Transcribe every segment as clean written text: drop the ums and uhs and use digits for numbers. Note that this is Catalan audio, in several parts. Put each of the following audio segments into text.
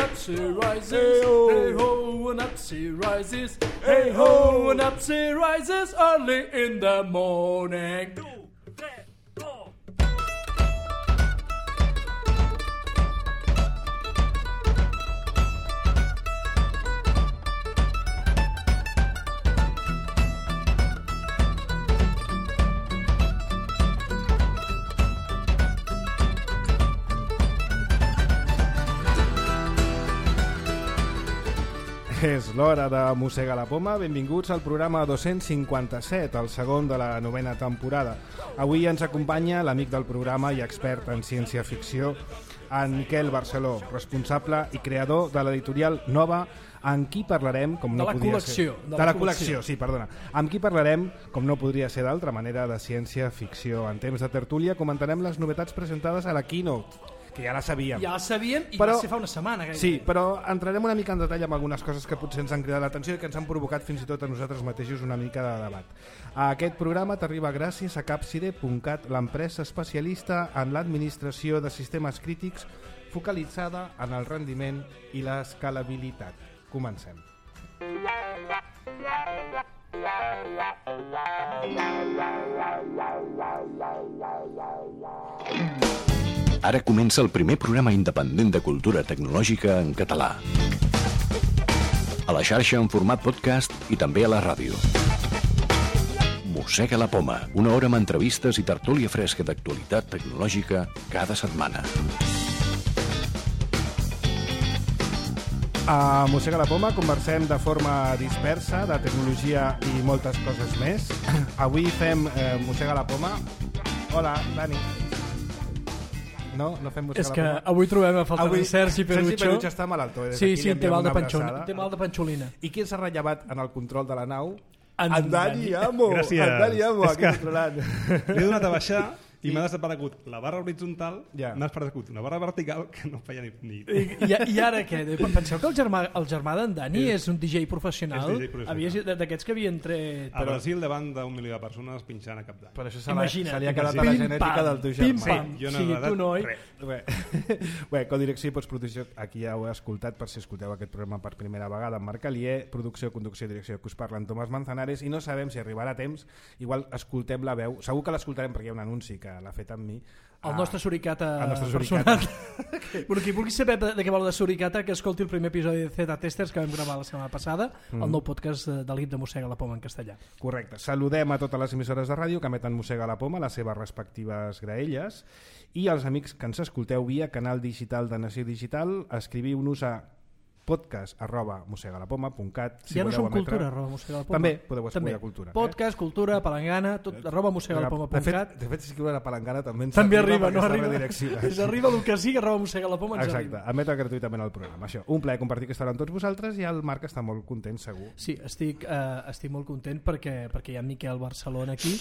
up she rises, hey ho, and up she rises, hey ho, and up she rises early in the morning. És l'hora de Mossegar la Poma. Benvinguts al programa 257, el segon de la 9ª temporada. Avui ens acompanya l'amic del programa i expert en ciència-ficció, en Miquel Barceló, responsable i creador de l'editorial Nova, amb qui parlarem, com no podia ser... De la col·lecció, sí, perdona. Amb qui parlarem, com no podria ser d'altra manera, de ciència-ficció. En temps de tertúlia comentarem les novetats presentades a la Keynote, que ja la sabíem. Ja la sabíem i va ser fa una setmana. Gairebé. Sí, però entrarem una mica en detall amb algunes coses que potser ens han cridat l'atenció i que ens han provocat fins i tot a nosaltres mateixos una mica de debat. Aquest programa t'arriba gràcies a Capside.cat, l'empresa especialista en l'administració de sistemes crítics focalitzada en el rendiment i l'escalabilitat. Comencem. Ara comença el primer programa independent de cultura tecnològica en català. A la xarxa en format podcast i també a la ràdio. Mossega la Poma, una hora amb entrevistes i tertúlia fresca d'actualitat tecnològica cada setmana. A Mossega la Poma conversem de forma dispersa de tecnologia i moltes coses més. Avui fem Mossega la Poma. Hola, Dani. No fem Mossega És la que Poma. Avui trobem a falta de Sergi Perucho. Sergi Perucho està malaltó. Sí, té mal de panxolina. I qui s'ha rellevat en el control de la nau? En Dani Amo. Gràcies. En Dani Amo, aquí controlant. Li he donat a baixar i m'ha desaparegut la barra horitzontal, Ja. m'ha desaparegut una barra vertical que no feia ni... I ara què? Penseu que el germà d'en Dani és un DJ professional? És DJ professional. D'aquests que havien tret... A Brasil, davant d'un milió de persones pinxant a cap d'any. Per això Imagina't. se li ha quedat a la genètica del teu germà. Pim-pam. Jo no Sí, he tu agradat no, oi? res. Bé, codirecció i postproducció, aquí ja ho he escoltat per si escolteu aquest programa per primera vegada amb Marc Alier, producció, conducció i direcció que us parla en Tomàs Manzanares, i no sabem si arribarà a temps, igual escoltem la veu, segur que l'escoltarem perquè hi ha un anunci que l'ha fet amb mi. El nostre suricata El nostre suricata. personal. Bueno, qui vulgui saber de què vol de suricata, que escolti el primer episodi de Z Testers que vam gravar la setmana passada, el nou podcast de l'IP de Mossega la Poma en castellà. Correcte. Saludem a totes les emissores de ràdio que emeten Mossega la Poma, les seves respectives graelles, i als amics que ens escolteu via canal digital de Nació Digital, escriviu-nos a podcast@mossegalapoma.cat Ja no som cultura, @mossegalapoma. També podeu escriure cultura. Podcast, cultura, palangana, tot @mossegalapoma.cat. De fet, si escriure la palangana també ens També arriba, no perquè està arriba. redireccionat. És arriba el que sigui, @mossegalapoma ens Exacte, arriba. emeta gratuïtament el programa. Això, un plaer compartir aquesta hora amb tots vosaltres i el Marc està molt content, segur. Sí, estic molt content perquè hi ha Miquel Barcelona aquí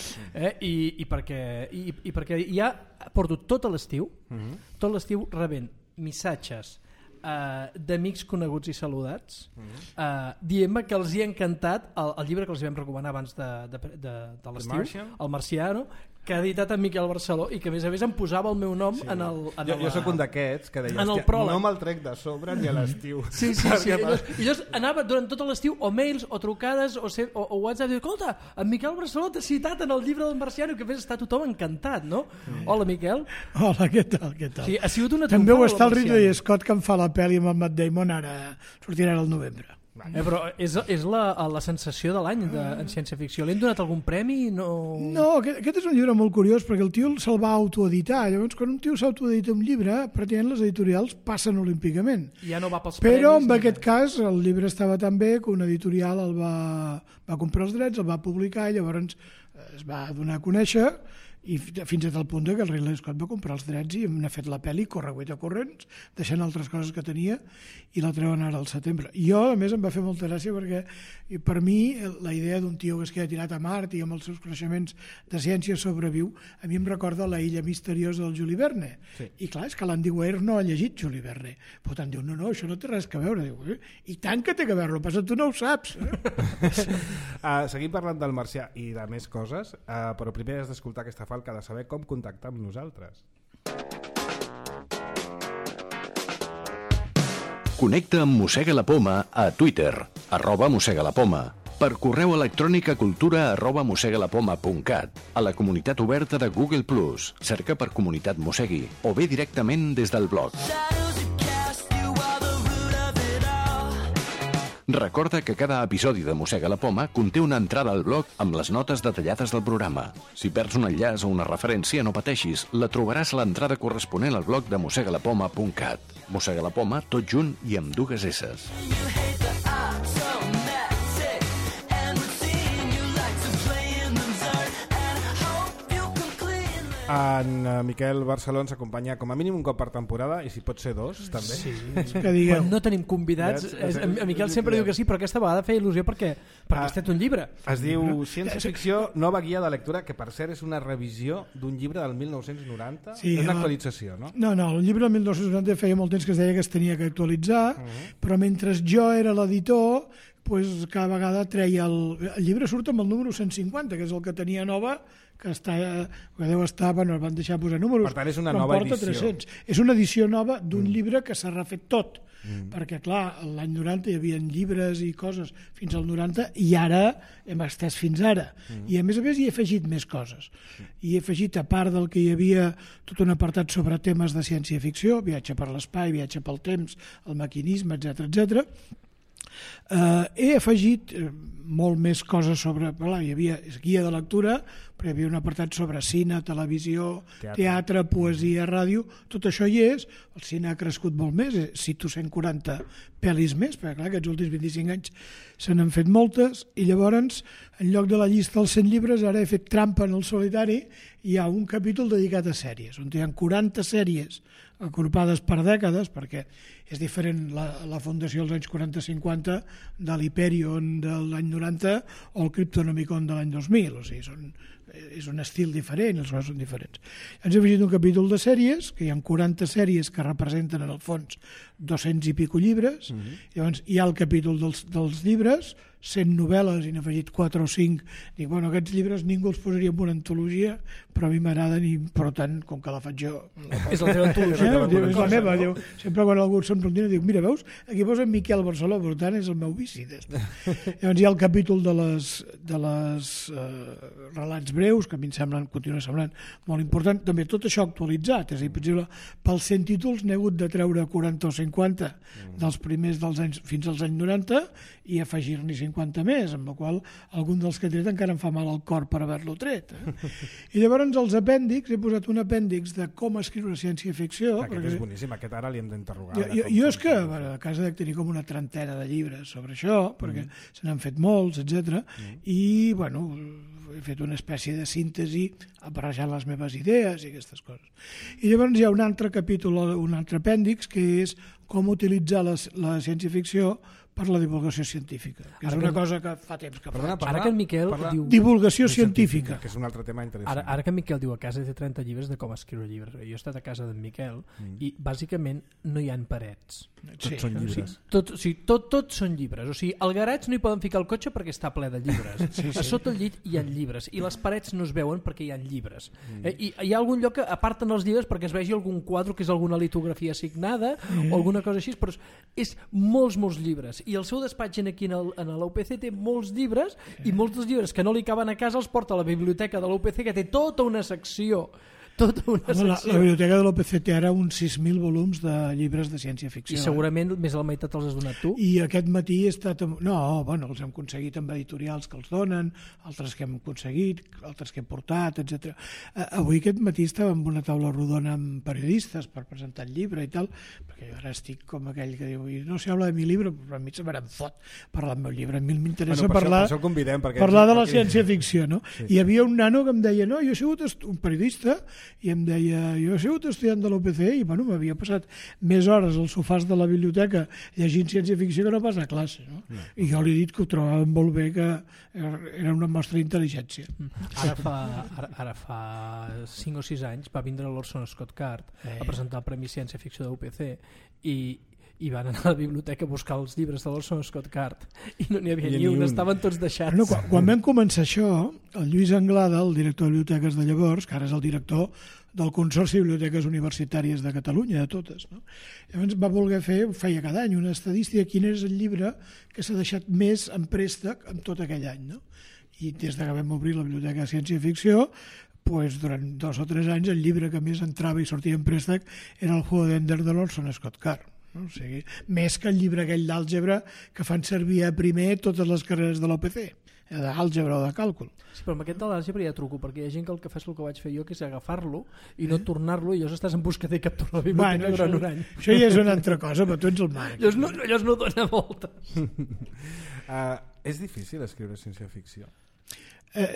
i perquè ja porto tot l'estiu rebent missatges d'amics coneguts i saludats dient-me que els hi ha encantat el llibre que els vam recomanar abans de l'estiu, El Marciano, que ha editat en Miquel Barceló i que a més em posava el meu nom en el... Jo soc un d'aquests que deia, no me'l trec de sobre ni a l'estiu. Sí. I llavors anava durant tot l'estiu o mails o trucades o WhatsApp, diu, escolta, en Miquel Barceló t'ha citat en el llibre del Marciano, que a més està tothom encantat, no? Hola, Miquel. Hola, què tal? Sí, ha sigut una també ho trompada, està el Marciano. Ridley Scott que em fa la pel·li amb en Matt Damon, ara sortirà al novembre. Però és la sensació de l'any en ciència-ficció. Li han donat algun premi? No, aquest és un llibre molt curiós perquè el tio se'l va autoeditar. Llavors, quan un tio s'autoedita un llibre, pràcticament les editorials passen olímpicament. Ja no va pels Però premis. en aquest cas el llibre estava tan bé que una editorial el va comprar els drets, el va publicar i llavors es va donar a conèixer i fins a tal punt que el Ridley Scott va comprar els drets i n'ha fet la pel·li corregueta corrents, deixant altres coses que tenia i la treuen ara al setembre. I jo, a més, em va fer molta gràcia perquè per mi la idea d'un tio que es queda tirat a Mart i amb els seus coneixements de ciència sobreviu, a mi em recorda la illa misteriosa del Juli Verne. Sí. I clar, és que l'Andy Weir no ha llegit Juli Verne. Per tant, diu, no, això no té res a veure. Diu, i tant que té a veure, passa tu no ho saps. Seguim parlant del Marcià i de més coses, però primer has d'escoltar aquesta falca de saber com contactar amb nosaltres. Connecta amb Mossega la Poma a Twitter, @mossegalapoma, per correu electrònic a cultura@mossegalapoma.cat, a la comunitat oberta de Google+, cerca per Comunitat Mossegui, o bé directament des del blog. Recorda que cada episodi de Mossega la Poma conté una entrada al blog amb les notes detallades del programa. Si perds un enllaç o una referència, no pateixis, la trobaràs a l'entrada corresponent al blog de mossegalapoma.cat. Mossega la Poma, tot junt i amb 2 esses. En Miquel Barceló ens acompanya com a mínim un cop per temporada, i si pot ser 2 també. Sí, que digueu. Quan no tenim convidats, a Miquel sempre diu que sí, però aquesta vegada feia il·lusió perquè has fet un llibre. Es diu Ciència-ficció, nova guia de lectura, que per cert és una revisió d'un llibre del 1990. És una actualització, no? No, el llibre del 1990 feia molt temps que es deia que es tenia que actualitzar, però mentre jo era l'editor, pues, cada vegada treia el llibre surt amb el número 150, que és el que tenia nova, que deu estar, bueno, el van deixar posar números. Per tant, és una nova edició. 300. És una edició nova d'un llibre que s'ha refet tot, perquè, clar, l'any 90 hi havia llibres i coses fins al 90, i ara hem estès fins ara. I, a més, hi he afegit més coses. I he afegit, a part del que hi havia tot un apartat sobre temes de ciència-ficció, viatge per l'espai, viatge pel temps, el maquinisme, etc. He afegit molt més coses sobre... Hi havia guia de lectura, però hi havia un apartat sobre cine, televisió, teatre, poesia, ràdio. Tot això hi és. El cine ha crescut molt més. Cito 140 pel·lis més, perquè clar, aquests últims 25 anys se n'han fet moltes, i llavors, en lloc de la llista dels 100 llibres, ara he fet trampa en el solitari, i hi ha un capítol dedicat a sèries, on hi ha 40 sèries agrupades per dècades, perquè és diferent la fundació dels anys 40-50 de l'Hyperion de l'any 90 o el Cryptonomicon de l'any 2000, o sigui, és un estil diferent, els coses són diferents. Ens hem afegit un capítol de sèries, que hi ha 40 sèries que representen en el fons 200 i pico llibres, llavors hi ha el capítol dels llibres, 100 novel·les, i n'he afegit 4 o 5. Dic, bueno, aquests llibres ningú els posaria en una antologia, però a mi m'agraden, i per tant, com que la faig jo... És la teva antologia. És la meva. Sempre quan algú se'm pregunta, dic, mira, veus, aquí posa Miquel Barceló, per tant, és el meu vici. Llavors hi ha el capítol de les relats breus, que a mi em continua semblant molt important. També tot això actualitzat, és a dir, per exemple, pels 100 títols n'he hagut de treure 40 o 50 dels primers dels anys fins als anys 90 i afegir-n'hi 50 més, amb la qual algun dels que he tret encara em fa mal al cor per haver-lo tret. I llavors els apèndix, he posat un apèndix de com escriure ciència-ficció. Aquest és boníssim, aquest ara li hem d'interrogar. Jo és que a casa dec tenir com una trentena de llibres sobre això, perquè se n'han fet molts, etc. I, bueno, he fet una espècie de síntesi barrejant les meves idees i aquestes coses. I llavors hi ha un altre capítol, un altre apèndix, que és com utilitzar la ciència-ficció per la divulgació científica, que és una cosa que fa temps que faig. Ara que en Miquel diu... Divulgació científica. Que és un altre tema interessant. Ara que en Miquel diu a casa té 30 llibres de com escriure llibres. Jo he estat a casa d'en Miquel i bàsicament no hi ha parets. Tots són llibres. Tots són llibres. O sigui, al garatge no hi poden ficar el cotxe perquè està ple de llibres. A sota el llit hi ha llibres i les parets no es veuen perquè hi ha llibres. I hi ha algun lloc que aparten els llibres perquè es vegi algun quadre que és alguna litografia assignada o alguna cosa així, però és molts llibres. I el seu despatx aquí en l'UPC té molts llibres i molts dels llibres que no li caben a casa els porta a la biblioteca de l'UPC, que té tota una secció. La biblioteca de l'OPC té ara uns 6.000 volums de llibres de ciència-ficció. I segurament més de la meitat els has donat tu? I aquest matí he estat... els hem aconseguit amb editorials que els donen, altres que hem aconseguit, altres que hem portat, etc. Avui aquest matí estava en una taula rodona amb periodistes per presentar el llibre i tal, perquè jo ara estic com aquell que diu no se habla de mi llibre, però a mi se me fot parlar del meu llibre. A mi m'interessa parlar de la ciència-ficció, no? Hi havia un nano que em deia, no, jo he sigut un periodista i em deia, jo he sigut estudiant de l'UPC i bueno, m'havia passat més hores als sofàs de la biblioteca llegint ciència-ficció que no pas a classe, no? I jo li he dit que ho trobava molt bé, que era una mostra d'intel·ligència. Ara fa 5 o 6 anys va vindre l'Orson Scott Card a presentar el Premi Ciència-Ficció de l'UPC i van anar a la biblioteca a buscar els llibres de l'Orson Scott Card i no n'hi havia ni un, estaven tots deixats. Quan vam començar això, el Lluís Anglada, el director de biblioteques de llavors, que ara és el director del Consorci de Biblioteques Universitàries de Catalunya, de totes. No? Llavors va voler fer, feia cada any, una estadística de quin és el llibre que s'ha deixat més en préstec en tot aquell any. No? I des que vam obrir la Biblioteca de Ciència i Ficció, durant 2 o 3 anys el llibre que més entrava i sortia en préstec era el Juego d'Ender de l'Orson Scott Card. No? O sigui, més que el llibre aquell d'àlgebra que fan servir a primer totes les carreres de l'OPC, d'àlgebra o de càlcul. Sí, però amb aquest de l'àlgebra hi ha truco, perquè hi ha gent que el que fa és el que vaig fer jo, que és agafar-lo i no tornar-lo, i llavors estàs en busca de capturar la biblioteca durant un any. Això ja és una altra cosa, però tu ets el Marc. Llavors no dona voltes. És difícil escriure ciència-ficció?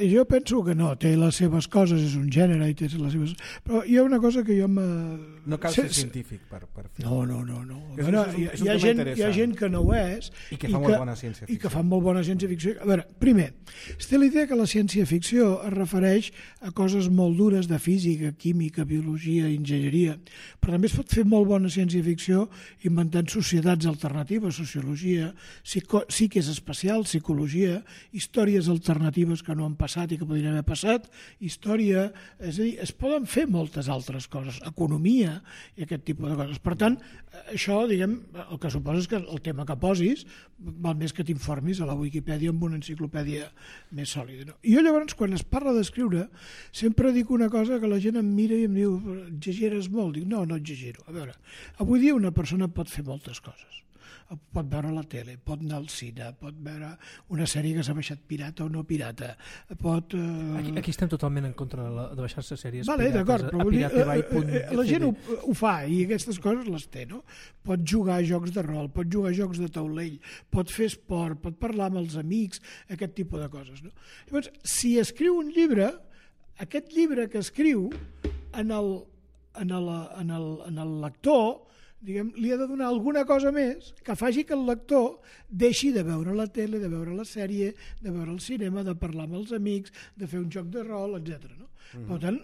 Jo penso que no, té les seves coses, és un gènere i té les seves... Però hi ha una cosa que jo No cal ser científic per fer. No. És un Hi ha gent que no ho és i que fa molt bona ciència-ficció. I que fa molt bona ciència-ficció. A veure, primer, es té la idea que la ciència-ficció es refereix a coses molt dures de física, química, biologia, enginyeria, però també es pot fer molt bona ciència-ficció inventant societats alternatives, sociologia, psiques espacial, psicologia, històries alternatives que no han passat i que podrien haver passat, història, és a dir, es poden fer moltes altres coses, economia i aquest tipus de coses. Per tant, això, diguem, el que suposa és que el tema que posis val més que t'informis a la Wikipedia amb una enciclopèdia més sòlida. No? I jo llavors, quan es parla d'escriure, sempre dic una cosa que la gent em mira i em diu exageres molt. Dic, no exagero. A veure, avui dia una persona pot fer moltes coses. Pot veure la tele, pot anar al cine, pot veure una sèrie que s'ha baixat pirata o no pirata, pot... Aquí estem totalment en contra de baixar-se sèries pirates a piratebay.cd. La gent ho fa i aquestes coses les té, no? Pot jugar a jocs de rol, pot jugar a jocs de taulell, pot fer esport, pot parlar amb els amics, aquest tipus de coses, no? Llavors, si escriu un llibre, aquest llibre que escriu en el lector, diguem, li ha de donar alguna cosa més que faci que el lector deixi de veure la tele, de veure la sèrie, de veure el cinema, de parlar amb els amics, de fer un joc de rol, etc. No? Per tant,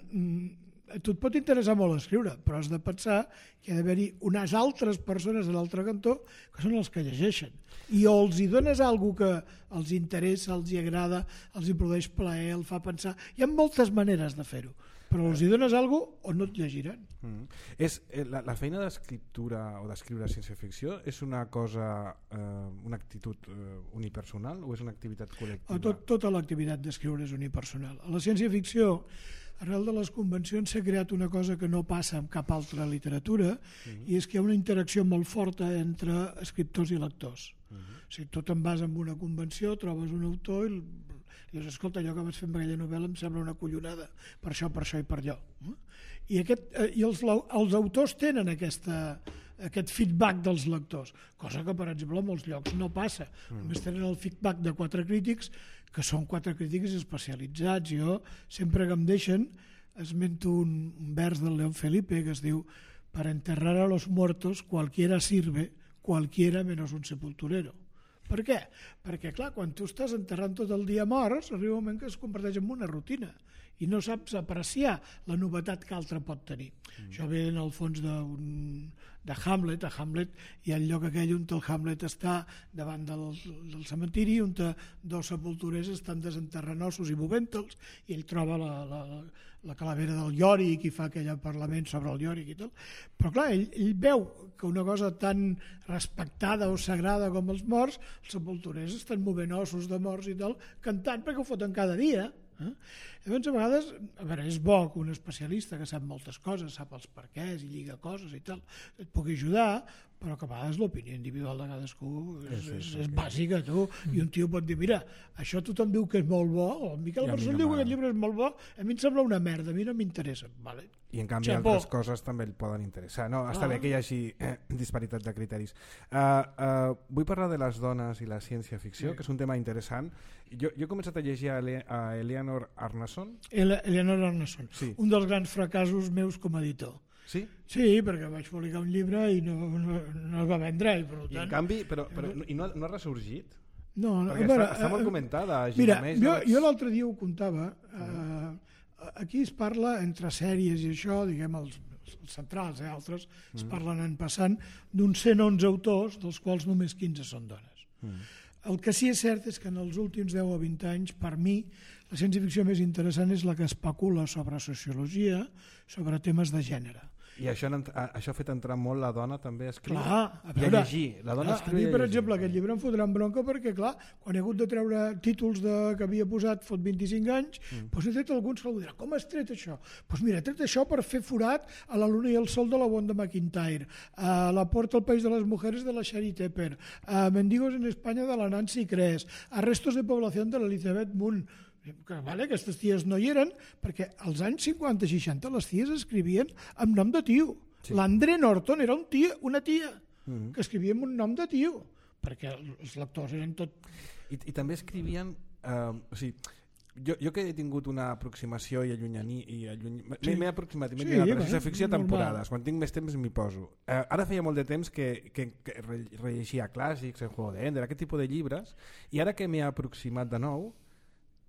a tu et pot interessar molt escriure, però has de pensar que hi ha d'haver-hi unes altres persones a l'altre cantó que són els que llegeixen. I o els hi dones alguna que els interessa, els hi agrada, els hi produeix plaer, el fa pensar. Hi ha moltes maneres de fer-ho, però els hi dones alguna cosa o no et llegiran. La feina d'escriptura o d'escriure ciència-ficció és una cosa, una actitud unipersonal o és una activitat col·lectiva? Tota l'activitat d'escriure és unipersonal. A la ciència-ficció, arrel de les convencions, s'ha creat una cosa que no passa en cap altra literatura, i és que hi ha una interacció molt forta entre escriptors i lectors. O sigui, tu te'n vas amb una convenció, trobes un autor i dius, escolta, allò que vas fer amb aquella novel·la em sembla una collonada, per això i per allò. I els autors tenen aquest feedback dels lectors, cosa que, per exemple, en molts llocs no passa. Només tenen el feedback de 4 crítics, que són 4 crítics especialitzats. Jo, sempre que em deixen, esmento un vers del León Felipe que es diu: «Para enterrar a los muertos cualquiera sirve, cualquiera menos un sepulturero». Per què? Perquè, clar, quan tu estàs enterrant tot el dia morts, arriba un moment que es converteix en una rutina i no saps apreciar la novetat que altre pot tenir. Això ve en el fons de Hamlet. A Hamlet hi ha el lloc aquell on el Hamlet està davant del cementiri, on 2 sepulturers estan desenterrant ossos i movent-los, i ell troba la calavera del Yorick i fa aquell parlament sobre el Yorick i tal. Però clar, ell veu que una cosa tan respectada o sagrada com els morts, els sepulturers estan movent ossos de morts i tal, cantant, perquè ho foten cada dia. Llavors, a vegades, és bo que un especialista que sap moltes coses, sap els perquès i lliga coses i tal, et pugui ajudar, però que a vegades l'opinió individual de cadascú és bàsica, tu. I un tio pot dir, mira, això tothom diu que és molt bo, o el Miquel Barçol diu que aquest llibre és molt bo, a mi em sembla una merda, a mi no m'interessa. Vale. I en canvi altres coses també el poden interessar. No, està bé que hi hagi disparitat de criteris. Vull parlar de les dones i la ciència-ficció, que és un tema interessant. Jo he començat a llegir a Eleanor Arnason. Eleanor Arnason, sí. Un dels grans fracassos meus com a editor. Sí? Sí, perquè vaig publicar un llibre i no es va vendre. I, per tant, I en canvi, però no ha ressorgit? No, perquè està molt comentada. Mira, jo l'altre dia ho contava. Aquí es parla entre sèries i això, diguem, els centrals, altres es parlen en passant d'uns 111 autors, dels quals només 15 són dones. El que sí és cert és que en els últims 10 o 20 anys, per mi, La ciència-ficció més interessant és la que especula sobre sociologia, sobre temes de gènere. I això ha fet entrar molt la dona també a escriure Clar, i a llegir. La dona escriu i a mi, per llegir. exemple, aquest llibre em fotran bronca perquè, clar, quan he hagut de treure títols que havia posat fot 25 anys, doncs he tret alguns que algú dirà, com has tret això? Doncs mira, he tret això per fer forat a La luna i el sol de la Wanda McIntyre, a La porta al país de les mujeres de la Shari Tepper, a Mendigos en Espanya de la Nancy Kress, a Restos de població de l'Elizabeth Moon. Que, vale, aquestes ties no hi eren perquè als anys 50 i 60 les ties escrivien amb nom de tio. Sí. L'André Norton era una tia que escrivia amb un nom de tio perquè els lectors eren tot... I també escrivien... o sigui, jo que he tingut una aproximació i m'he aproximat i m'he lligat a la ciència-ficció a temporades, quan tinc més temps m'hi poso. Ara feia molt de temps que rellegia clàssics, El juego de Ender, aquest tipus de llibres, i ara que m'he aproximat de nou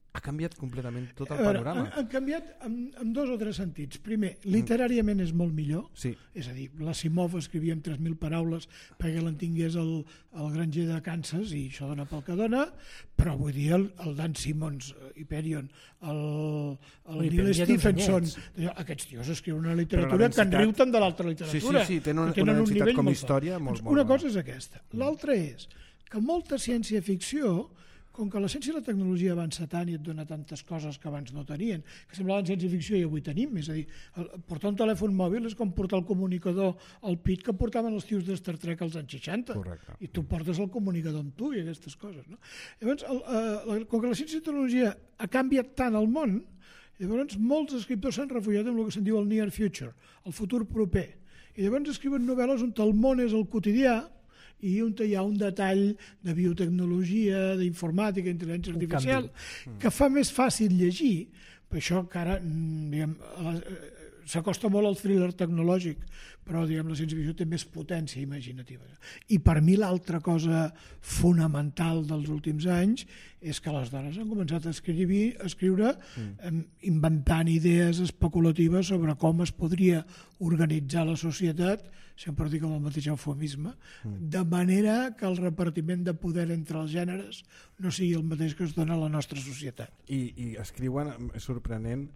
ha canviat completament tot el panorama. Han canviat en 2 o 3 sentits. Primer, literàriament és molt millor, sí. És a dir, l'Asimov escrivia en 3.000 paraules perquè l'entingués el granger de Kansas i això dona pel que dona, però vull dir el Dan Simmons, Hyperion, el Neil Stephenson, aquests tios escriuen una literatura que en riu tant de l'altra literatura. Sí, tenen una densitat com a història molt bona. Una cosa és aquesta. L'altra és que molta ciència-ficció, com que la ciència i la tecnologia avança tant i et dona tantes coses que abans no tenien, que semblaven ciència-ficció i avui tenim, és a dir, portar un telèfon mòbil és com portar el comunicador al pit que portaven els tios de Star Trek als anys 60. Correcte. I tu portes el comunicador amb tu i aquestes coses. No? Llavors, com que la ciència i la tecnologia ha canviat tant el món, llavors molts escriptors s'han refugiat en el que se'n diu el near future, el futur proper. I llavors escriuen novel·les on el món és el quotidià i on hi ha un detall de biotecnologia, d'informàtica, d'intel·ligència artificial, que fa més fàcil llegir. Per això que ara s'acosta molt al thriller tecnològic, però la ciència-ficció té més potència imaginativa. I per mi l'altra cosa fonamental dels últims anys és que les dones han començat a escriure inventant idees especulatives sobre com es podria organitzar la societat, sempre dic amb el mateix eufemisme, de manera que el repartiment de poder entre els gèneres no sigui el mateix que es dona a la nostra societat. I escriuen, és sorprenent,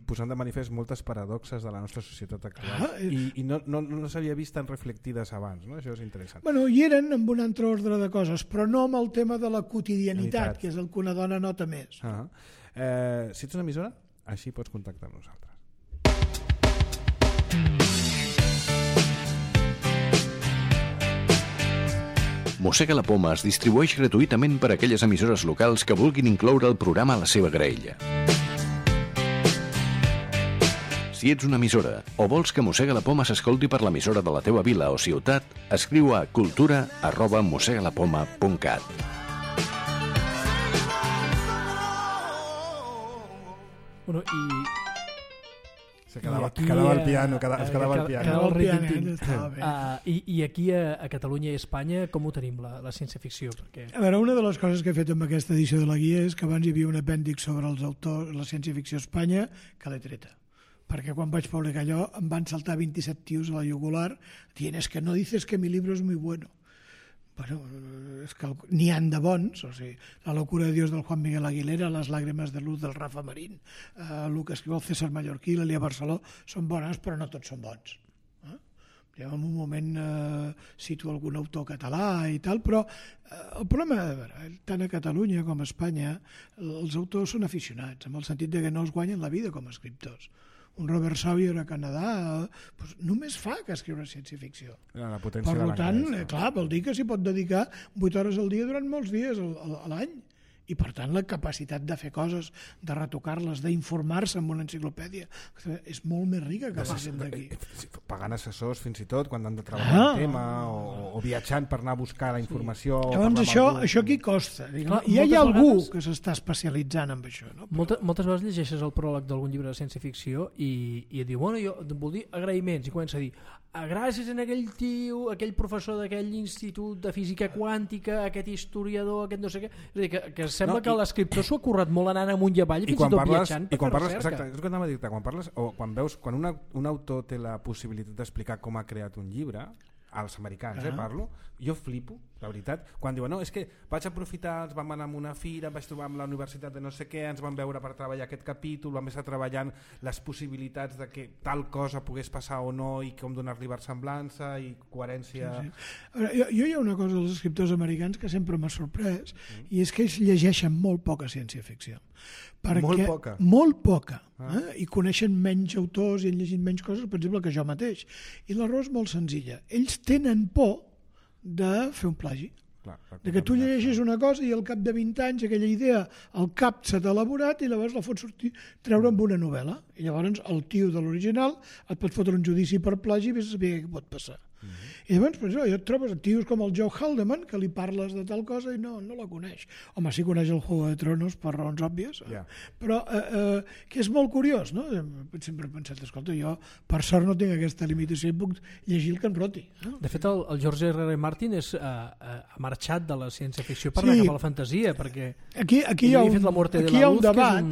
posant de manifest moltes paradoxes de la nostra societat actual. I no s'havia vist tan reflectides abans, no? Això és interessant. Bueno, hi eren amb un altre ordre de coses, però no amb el tema de la quotidianitat, que és el que una dona nota més. Si ets una emissora, així pots contactar amb nosaltres. Mossega la Poma es distribueix gratuïtament per a aquelles emissores locals que vulguin incloure el programa a la seva graella. Si ets una emissora o vols que Mossega la Poma s'escolti per l'emissora de la teva vila o ciutat, escriu a cultura@mossegalapoma.cat. Bueno, quedava el piano. I aquí a Catalunya i Espanya com ho tenim, la ciència-ficció? Perquè... A veure, una de les coses que he fet amb aquesta edició de la guia és que abans hi havia un apèndix sobre els autors, la ciència-ficció a Espanya, que l'he treta. Perquè quan vaig publicar allò em van saltar 27 tios a la jugular dient es que no dices que mi libro es muy bueno. Bueno, és que n'hi han de bons, o sigui, La locura de Dios del Juan Miguel Aguilera, Les lágrimas de luz del Rafa Marín, el que escriu el César Mallorquí, l'Elia Barceló, són bones, però no tots són bons. En un moment cito algun autor català i tal, però el problema, tant a Catalunya com a Espanya, els autors són aficionats, en el sentit de que no es guanyen la vida com a escriptors. Un Robert Sawyer a Canadà només fa que escriure ciència-ficció. Per tant, clar, vol dir que s'hi pot dedicar 8 hores al dia durant molts dies a l'any. I per tant la capacitat de fer coses, de retocar-les, d'informar-se amb una enciclopèdia és molt més rica que la gent d'aquí. Pagant assessors fins i tot quan han de treballar el tema o viatjant per anar a buscar la informació. Llavors això aquí costa. I hi ha algú que s'està especialitzant en això. Moltes vegades llegeixes el pròleg d'algun llibre de ciència-ficció i et diu, bueno, jo vol dir agraïments, i comença a dir gràcies a aquell tio, aquell professor d'aquell institut de física quàntica, aquest historiador, aquest no sé què, és a dir, que sembla que l'escriptor s'ho ha currat molt anant amunt i avall fins i tot viatjant per fer recerca. Exacte, és el que anava a dir-te, quan parles o quan veus, quan un autor té la possibilitat d'explicar com ha creat un llibre, als americans, parlo, jo flipo, la veritat, quan diuen, no, és que vaig aprofitar, ens vam anar a una fira, vaig trobar amb la universitat de no sé què, ens vam veure per treballar aquest capítol, vam estar treballant les possibilitats de que tal cosa pogués passar o no i com donar-li versemblança i coherència... Ara, jo hi ha una cosa dels escriptors americans que sempre m'ha sorprès, i és que ells llegeixen molt poca ciència-ficció. Molt poca? Molt poca. I coneixen menys autors i han llegit menys coses, per exemple, que jo mateix. I la raó és molt senzilla. Ells tenen por de fer un plagi. De que tu llegeixis una cosa i al cap de 20 anys aquella idea al cap s'ha elaborat i llavors la fots treure amb una novel·la. I llavors el tio de l'original et pot fotre un judici per plagi i vés a saber què pot passar. I llavors, per això, jo et trobes tios com el Joe Haldeman, que li parles de tal cosa i no la coneix. Home, sí coneix el Juego de Tronos per raons òbvies, però que és molt curiós, no? Sempre he pensat, escolta, jo per sort no tinc aquesta limitació i puc llegir el que em roti. De fet, el George R.R. Martin ha marxat de la ciència-ficció per anar cap a la fantasia, perquè aquí hi ha un debat,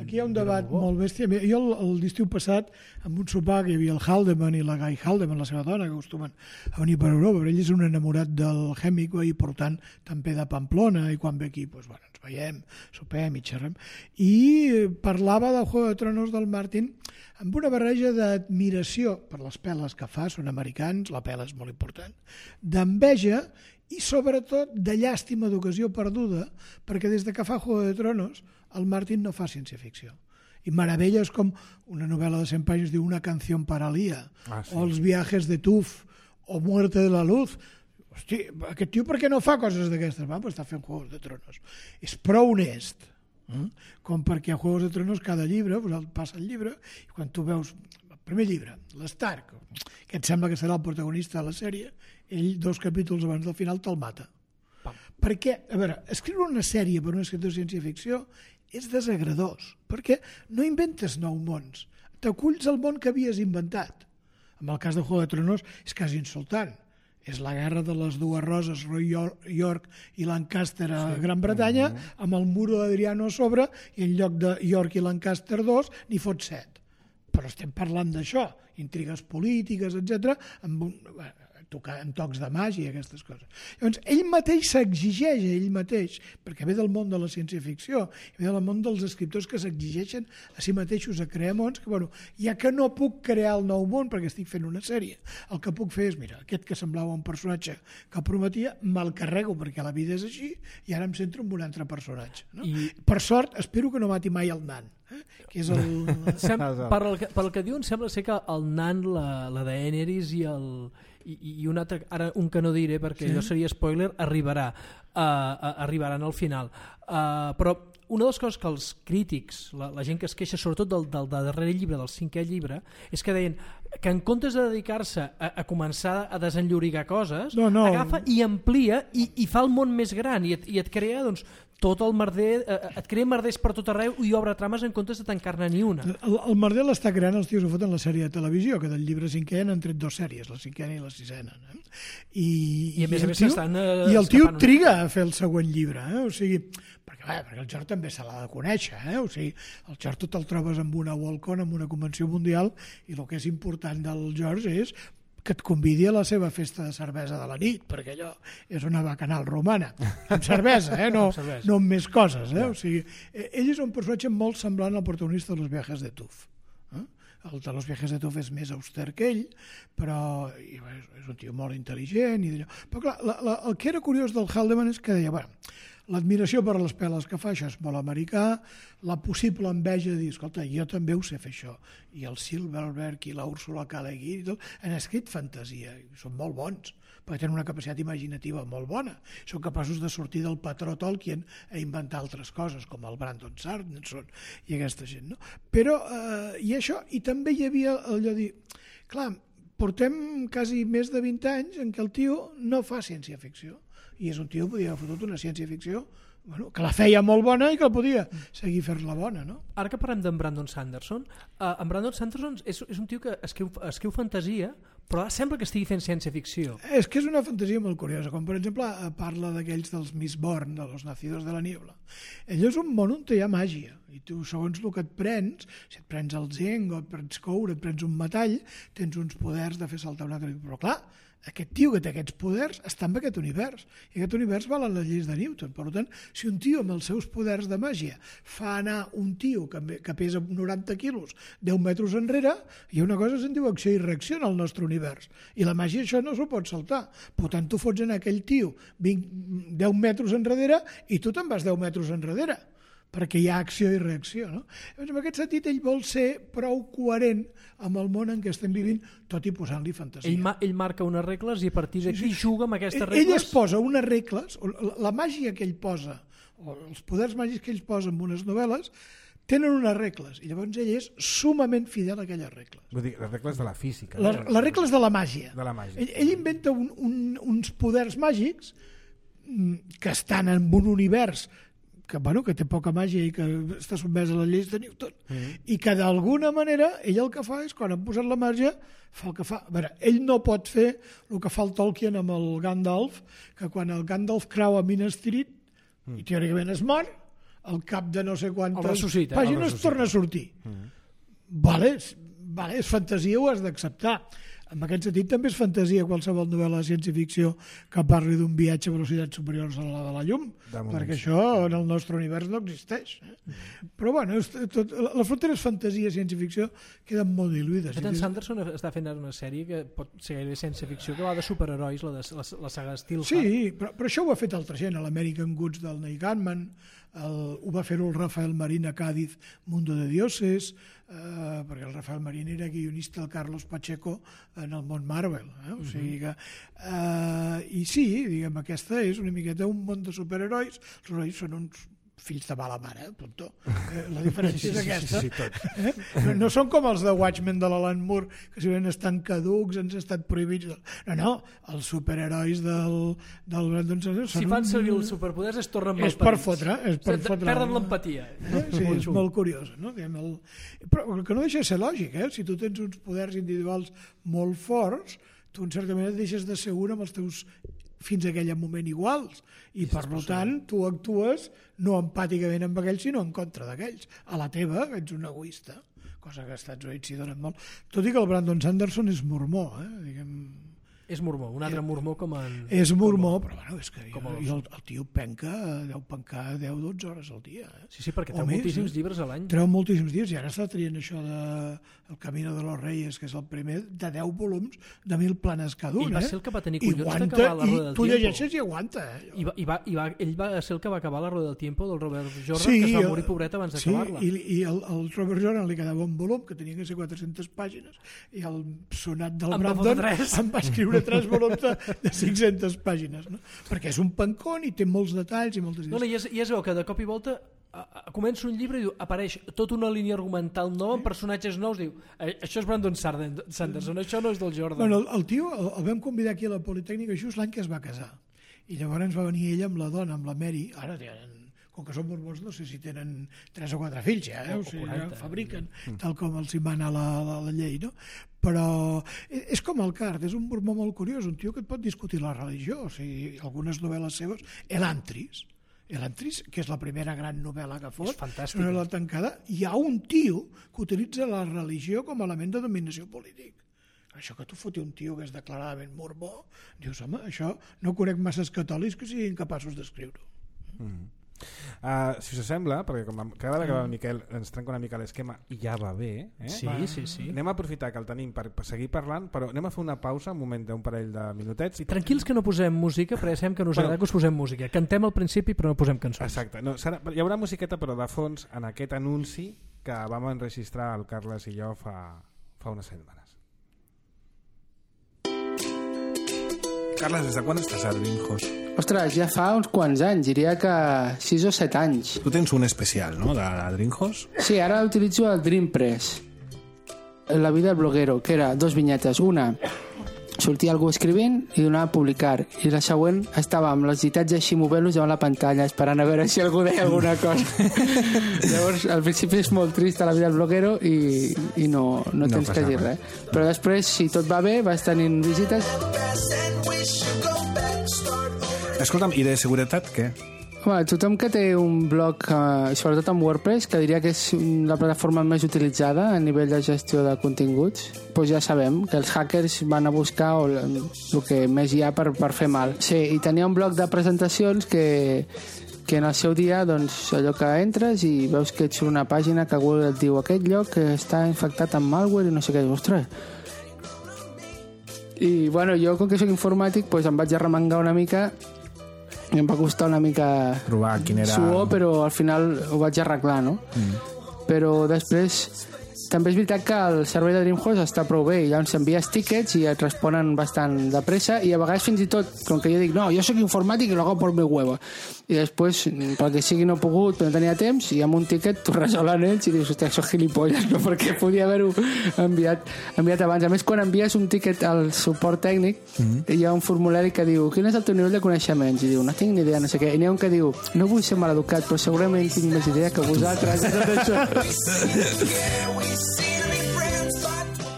aquí hi ha un debat molt bèstia. Jo l'estiu passat, amb un sopar que hi havia el Haldeman i la Guy Haldeman, la seva dona, que acostumen a venir per Europa, però ell és un enamorat del Hemingway i portant també de Pamplona, i quan ve aquí ens veiem, sopem i xerrem, i parlava del Juego de Tronos del Martin amb una barreja d'admiració per les peles que fa, són americans, la pela és molt important, d'enveja i sobretot de llàstima d'ocasió perduda, perquè des de que fa Juego de Tronos el Martin no fa ciència-ficció. I meravelles com una novel·la de 100 pàgines diu Una canción para Lía, o Els viajes de Tuf, o Muerte de la Luz. Hosti, aquest tio per què no fa coses d'aquestes? Va, està fent Juegos de Tronos. És prou honest, com perquè a Juegos de Tronos cada llibre, passa el llibre, i quan tu veus el primer llibre, l'Stark, que et sembla que serà el protagonista de la sèrie, ell 2 capítols abans del final te'l mata. Perquè, a veure, escriure una sèrie per un escriptor de ciència-ficció és desagradós, perquè no inventes nous mons, t'aculls al món que havies inventat. En el cas de Juego de Tronos és quasi insultant. És la guerra de les dues roses, Roy York i Lancaster a Gran Bretanya, amb el muro d'Adriano a sobre, i en lloc de York i Lancaster 2, n'hi fot 7. Però estem parlant d'això, intrigues polítiques, etc., amb tocs de màgia i aquestes coses. Llavors, ell mateix s'exigeix a ell mateix, perquè ve del món de la ciència-ficció, ve del món dels escriptors que s'exigeixen a si mateixos a crear mons, que, ja que no puc crear el nou món perquè estic fent una sèrie, el que puc fer és, mira, aquest que semblava un personatge que prometia, me'l carrego perquè la vida és així, i ara em centro en un altre personatge. No? Per sort, espero que no mati mai el nan. Que és el... pel que diuen, sembla ser que el nan, la Daenerys i un altre, ara un que no diré perquè allò seria spoiler, arribaran al final. Però una de les coses que els crítics, la gent que es queixa sobretot del darrer llibre, del 5è llibre, és que deien que en comptes de dedicar-se a començar a desenllorigar coses, agafa i amplia i fa el món més gran i et crea tot el merder, et crea merders per tot arreu i obre trames en comptes de tancar-ne ni una. El merder l'està creant els tios ho foten la sèrie de televisió, que del llibre 5è han tret 2 sèries, la 5a i la 6a. I a més a més s'estan i el tio triga a fer el següent llibre, o sigui, perquè el George també se l'ha de conèixer, o sigui, el George tu te'l trobes amb una Worldcon, amb una convenció mundial, i el que és important del George és que et convidi a la seva festa de cervesa de la nit, perquè allò és una bacanal romana, amb cervesa, no amb més coses. O sigui, ell és un personatge molt semblant al protagonista de Los viajes de Tuf. El de Los viajes de Tuf és més auster que ell, però és un tio molt intel·ligent. Però clar, el que era curiós del Haldeman és que deia, l'admiració per les peles que fa, això és molt americà, la possible enveja de dir, escolta, jo també ho sé fer això, i el Silverberg i la Úrsula K. Le Guin han escrit fantasia, i són molt bons, perquè tenen una capacitat imaginativa molt bona, són capaços de sortir del patró Tolkien a inventar altres coses, com el Brandon Sanderson i aquesta gent, no? Però, i això, i també hi havia allò de dir, clar, portem quasi més de 20 anys en què el tio no fa ciència-ficció, i és un tio que podia haver fotut una ciència-ficció que la feia molt bona i que podia seguir fer-la bona. Ara que parlem d'en Brandon Sanderson, en Brandon Sanderson és un tio que escriu fantasia, però sembla que estigui fent ciència-ficció. És que és una fantasia molt curiosa, com per exemple parla d'aquells dels Mistborn, de los nacidos de la niebla. Ell és un món on hi ha màgia, i tu segons el que et prens, si et prens el zinc o et prens coure, et prens un metall, tens uns poders de fer saltar un altre. Però clar, aquest tio que té aquests poders està en aquest univers, i aquest univers valen les lleis de Newton. Per tant, si un tio amb els seus poders de màgia fa anar un tio que pesa 90 quilos 10 metres enrere, hi ha una cosa que se'n diu acció i reacció en el nostre univers, i la màgia això no s'ho pot saltar. Per tant, tu fots anar aquell tio 10 metres enrere i tu te'n vas 10 metres enrere, perquè hi ha acció i reacció. No? En aquest sentit, ell vol ser prou coherent amb el món en què estem vivint, tot i posant-li fantasia. Ell marca unes regles i a partir d'aquí juga amb aquestes regles. Ell es posa unes regles, la màgia que ell posa, o els poders màgics que ell posa en unes novel·les, tenen unes regles, i llavors ell és sumament fidel a aquelles regles. Vull dir, les regles de la física. Les regles de la màgia. De la màgia. Ell inventa uns poders màgics que estan en un univers que té poca màgia i que està sotmès a les lleis de Newton, i que d'alguna manera ell el que fa és, quan ha posat la màgia, fa el que fa. A veure, ell no pot fer el que fa el Tolkien amb el Gandalf, que quan el Gandalf creu a Minas Tirith, i teòricament es mor, al cap de no sé quantes pàgines torna a sortir. Vale, és fantasia, ho has d'acceptar. En aquest sentit també és fantasia qualsevol novel·la de ciència-ficció que parli d'un viatge a velocitats superiors a la de la llum, perquè això en el nostre univers no existeix. Però bueno, les fronteres fantasia i ciència-ficció queden molt diluïdes. Sanderson està fent ara una sèrie que pot ser gairebé ciència-ficció, que va de superherois, la saga Steelheart. Sí, però això ho ha fet altra gent, l'American Goods del Neil Gaiman, ho va fer el Rafael Marín a Cádiz, Mundo de Dioses, perquè el Rafael Marín era guionista del Carlos Pacheco en el món Marvel. O sigui que, i sí, diguem, aquesta és una miqueta un món de superherois. Els herois són uns fills de mala mare, tonto. La diferència és aquesta. No són com els de Watchmen de l'Alan Moore, que si ben estan caducs, ens estan prohibits. No, els superherois del Brandon Sanderson... Si fan servir els superpoders es tornen malparits. És per fotre. Perden l'empatia. Sí, és molt curiós. Però el que no deixa de ser lògic, si tu tens uns poders individuals molt forts, tu en certa manera deixes de ser un amb els teus fins a aquell moment iguals, i per tant tu actues no empàticament amb aquells sinó en contra d'aquells. A la teva ets un egoista, cosa que als Estats Units s'hi donen molt, tot i que el Brandon Sanderson és mormó, diguem. És mormó, un altre mormó com en... És mormó, però bueno, és que el tio deu pencar 10-12 hores al dia. Sí, perquè treu moltíssims llibres a l'any. Treu moltíssims llibres, i ara està traient això de El Camino de los Reyes, que és el primer de 10 volums de 1000 planes cada un. Ell va ser el que va tenir collons d'acabar la Roda del Tiempo. Tu llegeixes i aguanta. Ell va ser el que va acabar la Roda del Tiempo del Robert Jordan, que es va morir pobret abans d'acabar-la. Sí, i al Robert Jordan li quedava un volum que tenia que ser 400 pàgines, i el sonat del Brandon em va escriure 3 volums de 500 pàgines, no? Perquè és un pancón i té molts detalls i moltes idees. I es veu que de cop i volta comença un llibre i diu, apareix tota una línia argumental nova amb personatges nous, diu, això és Brandon Sanderson, això no és del Jordan. Bueno, el tio el vam convidar aquí a la Politècnica just l'any que es va casar, i llavors va venir ella amb la dona, amb la Mary, ara tenen, com que són mormons, no sé si tenen 3 o 4 fills ja, o sigui, ja fabriquen tal com els hi mana la llei, no? Però és com el Card, és un mormó molt curiós, un tio que et pot discutir la religió, o sigui, algunes novel·les seves, Elantris, que és la primera gran novel·la que fot, és una novel·la tancada, hi ha un tio que utilitza la religió com a element de dominació polític. Això que tu foti un tio que és declaradament mormó, dius, home, això no conec masses catòlics que siguin capaços d'escriure-ho. Si us sembla, perquè cada vegada que va el Miquel ens trenca una mica l'esquema i ja va bé, sí. Anem a aprofitar que el tenim per seguir parlant, però anem a fer una pausa, un moment d'un parell de minutets. Tranquils que no posem música, perquè sabem que no us agrada que us posem música. Cantem al principi però no posem cançons. Exacte, hi haurà musiqueta però de fons en aquest anunci que vam enregistrar el Carles i jo fa unes setmanes. Carles, des de quan estàs a Drinkhos? Ostres, ja fa uns quants anys, diria que 6 o 7 anys. Tu tens un especial, no?, de Drinkhos? Sí, ara utilitzo el Dream Press. La vida del bloguero, que era 2 vinyetes. Una, sortia algú escrivint i donava a publicar. I la següent estava amb les ditats així movent-los davant la pantalla, esperant a veure si algú deia alguna cosa. Llavors, al principi és molt trista la vida del bloguero i no tens que dir res. Però després, si tot va bé, vas tenint visites. Escolta'm, i de seguretat què? Home, tothom que té un blog, sobretot amb WordPress, que diria que és la plataforma més utilitzada a nivell de gestió de continguts, doncs ja sabem que els hackers van a buscar el que més hi ha per fer mal. Sí, i tenia un bloc de presentacions que en el seu dia, doncs, allò que entres i veus que ets una pàgina que Google et diu aquest lloc que està infectat amb malware i no sé què, ostres. I, bueno, jo, com que soc informàtic, doncs em vaig arremangar una mica i em va costar una mica trobar quin era... suor, però al final ho vaig arreglar, no? Però després també és veritat que el servei de DreamHost està prou bé i llavors envies tickets i et responen bastant de pressa i a vegades fins i tot, com que jo dic no, jo soc informàtic i lo hago por mi huevo i després, pel que sigui no he pogut però no tenia temps i amb un tiquet t'ho resolen ells i dius, hòstia, soc gilipolles no? Perquè podia haver-ho enviat abans. A més, quan envies un tiquet al suport tècnic hi ha un formulari que diu quin és el teu nivell de coneixements i diu, no tinc ni idea, no sé què, i n'hi ha un que diu no vull ser maleducat però segurament tinc més idea que vosaltres de tot això.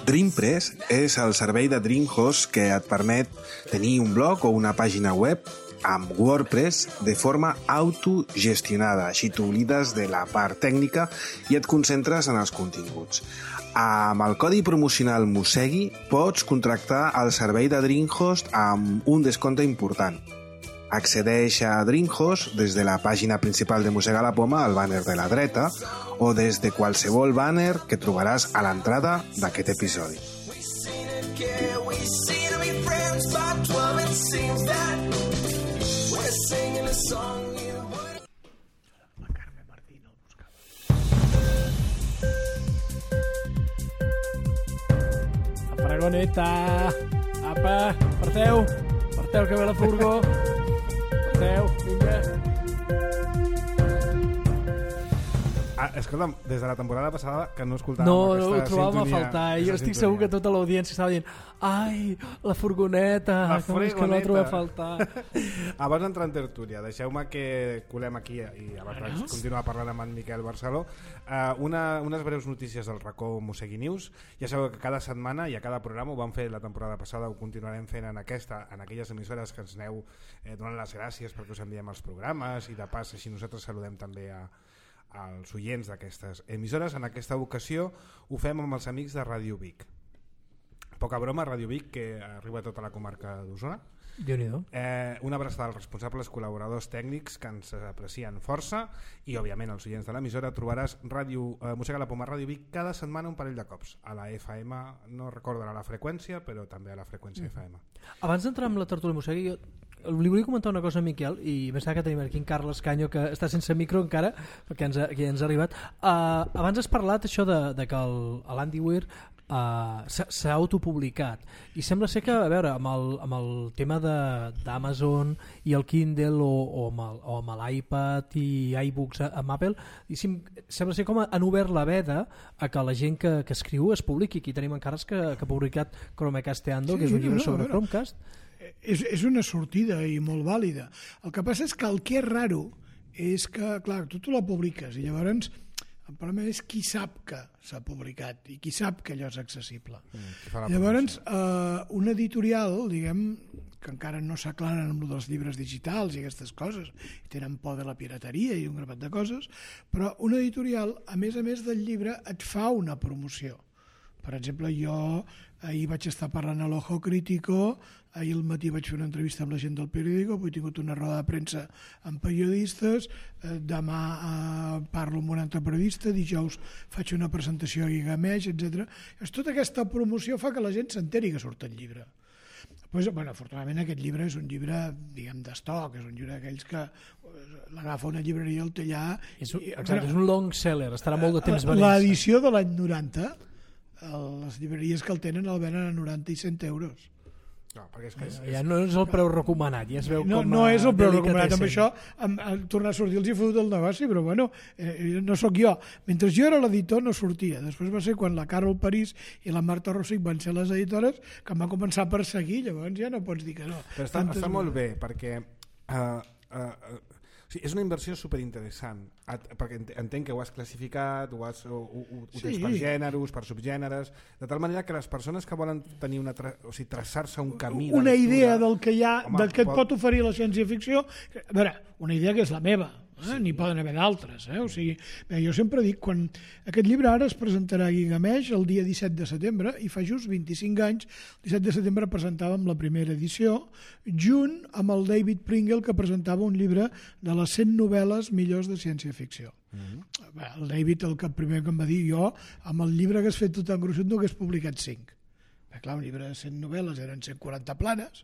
DreamPress és el servei de DreamHost que et permet tenir un blog o una pàgina web amb WordPress de forma autogestionada. Així t'oblides de la part tècnica i et concentres en els continguts. Amb el codi promocional Mosegui pots contractar el servei de DreamHost amb un descompte important. Accedeix a DreamHost des de la pàgina principal de Mossega la Poma, al bàner de la dreta, o des de qualsevol bàner que trobaràs a l'entrada d'aquest episodi. La fregoneta! Apa, parteu! Parteu que ve la furgó! Parteu, vinga! Escolta'm, des de la temporada passada que no escoltàvem aquesta sintonia. No, ho trobàvem a faltar. Jo estic segur que tota l'audiència estava dient ai, la furgoneta, com és que no la trobem a faltar. Abans d'entrar en tertúlia, deixeu-me que colem aquí i abans vaig continuar parlant amb en Miquel Barceló unes breus notícies del racó Mosegui News. Ja sabeu que cada setmana i a cada programa ho vam fer la temporada passada, ho continuarem fent en aquelles emissores que ens aneu donant les gràcies perquè us enviem els programes i de pas així nosaltres saludem també als oients d'aquestes emissores. En aquesta ocasió ho fem amb els amics de Ràdio Vic. Poca broma, Ràdio Vic, que arriba a tota la comarca d'Osona. Déu-n'hi-do. Una abraçada als responsables col·laboradors tècnics que ens aprecien força i, òbviament, als oients de l'emissora. Trobaràs Mossega la Poma Ràdio Vic cada setmana un parell de cops. A la FM, no recordarà la freqüència, però també a la freqüència FM. Abans d'entrar amb la tertúlia Mosegui, jo li volia comentar una cosa a Miquel i pensava que tenim aquí en Carles Canyo que està sense micro encara perquè ens ha arribat. Abans has parlat això de que l'Andy Weir s'ha autopublicat i sembla ser que, a veure, amb el tema d'Amazon i el Kindle o amb l'iPad i iBooks amb Apple, sembla ser com han obert la veda a que la gent que escriu es publiqui. Aquí tenim en Carles que ha publicat Chromecasteando, que és un llibre sobre Chromecast. És una sortida i molt vàlida. El que passa és que el que és raro és que, clar, tu la publiques i llavors el problema és qui sap que s'ha publicat i qui sap que allò és accessible. Llavors, un editorial, diguem, que encara no s'aclaren amb dels llibres digitals i aquestes coses, i tenen por de la pirateria i un grapat de coses, però un editorial, a més del llibre, et fa una promoció. Per exemple, jo ahir vaig estar parlant a l'Ojo Crítico, ahir al matí vaig fer una entrevista amb la gent del periòdico, avui he tingut una roda de premsa amb periodistes, demà parlo amb un altre periodista, dijous faig una presentació a Gigamesh, etc. Tota aquesta promoció fa que la gent s'enteri que surt el llibre. Pues, bueno, afortunadament aquest llibre és un llibre, diguem, d'estoc, és un llibre d'aquells que l'agafa una llibreria al té allà... Exacte, és un long seller, estarà molt de temps venint. L'edició de l'any 90, les llibreries que el tenen el venen a 90 i 100 euros. No, perquè és que ja no és el preu recomanat, ja es veu com no és el preu recomanat, amb això tornar a sortir els hi fotut el negoci, però bueno, no sóc jo. Mentre jo era l'editor no sortia, després va ser quan la Carol París i la Marta Rossich van ser les editores que em van començar a perseguir, llavors ja no pots dir que no. Però està molt bé, perquè Sí, és una inversió superinteressant, perquè entenc que ho has classificat, ho tens per gèneres, per subgèneres, de tal manera que les persones que volen tenir traçar-se un camí... Una idea del que hi ha, del que et pot oferir la ciència-ficció, a veure, una idea que és la meva, n'hi poden haver d'altres, o sigui, jo sempre dic, quan aquest llibre ara es presentarà a Guigameix el dia 17 de setembre, i fa just 25 anys, el 17 de setembre presentàvem la primera edició, junt amb el David Pringle, que presentava un llibre de les 100 novel·les millors de ciència-ficció. El David, el primer que em va dir, jo, amb el llibre que has fet tu tan gruixut, no hagués publicat 5. Clar, un llibre de 100 novel·les eren 140 planes,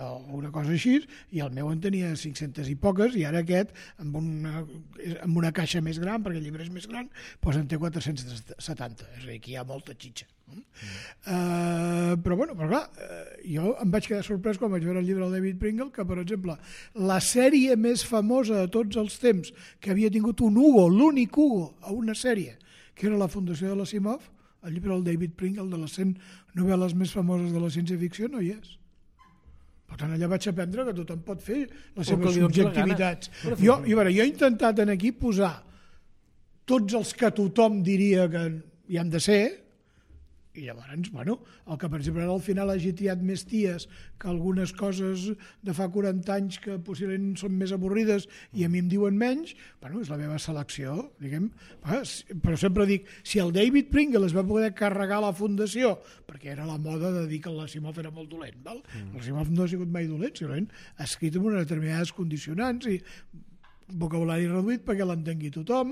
o una cosa així, i el meu en tenia 500 i poques, i ara aquest, amb una caixa més gran, perquè el llibre és més gran, doncs en té 470, és a dir, que hi ha molta xitxa. Però clar, jo em vaig quedar sorprès quan vaig veure el llibre del David Pringle, que, per exemple, la sèrie més famosa de tots els temps, que havia tingut un Hugo, l'únic Hugo a una sèrie, que era la Fundació de l'Asimov, el llibre del David Pringle, de les 100 novel·les més famoses de la ciència-ficció, no hi és. Per tant, allà vaig aprendre que tothom pot fer les seves subjectivitats. Jo he intentat aquí posar tots els que tothom diria que hi han de ser, i llavors, el que per exemple al final hagi tiat més ties que algunes coses de fa 40 anys que possiblement són més avorrides i a mi em diuen menys, és la meva selecció, diguem. Però sempre dic, si el David Pringle es va poder carregar la fundació, perquè era la moda de dir que l'Asimov era molt dolent, l'Asimov no ha sigut mai dolent, simplement ha escrit amb unes determinades condicionants i vocabulari reduït perquè l'entengui tothom,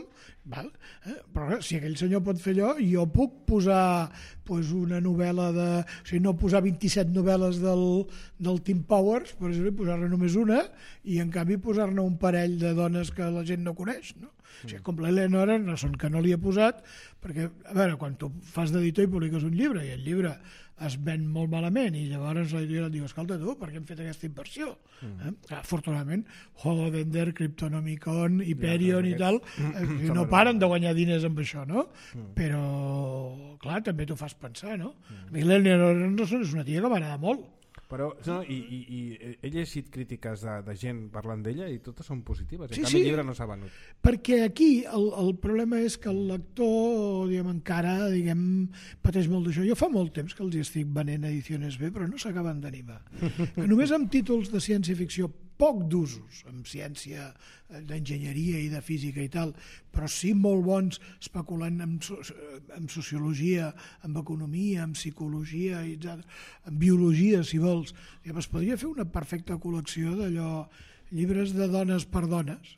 però si aquell senyor pot fer allò, jo puc posar una novel·la o sigui, no posar 27 novel·les del Tim Powers, per exemple, posar-ne només una, i en canvi posar-ne un parell de dones que la gent no coneix, no? O sigui, com l'Eleanor Anderson, que no li he posat, perquè, a veure, quan tu fas d'editor i publiques un llibre, i el llibre es ven molt malament, i llavors l'editorial et diu, escolta tu, per què hem fet aquesta inversió? Afortunadament, Holodender, Cryptonomicon, Hyperion i tal, no paren de guanyar diners amb això, no? Però, clar, també t'ho fas pensar, no? A mi l'Eleanor Anderson és una tia que m'agrada molt. Però, he llegit crítiques de gent parlant d'ella i totes són positives. En canvi, el llibre no s'ha venut. Perquè aquí el problema és que el lector encara pateix molt d'això. Jo fa molt temps que els estic venent edicions B, però no s'acaben d'animar. Que només amb títols de ciència-ficció poc d'usos, amb ciència d'enginyeria i de física i tal, però sí molt bons especulant amb sociologia, amb economia, amb psicologia, amb biologia, si vols. Es podria fer una perfecta col·lecció d'allò, llibres de dones per dones,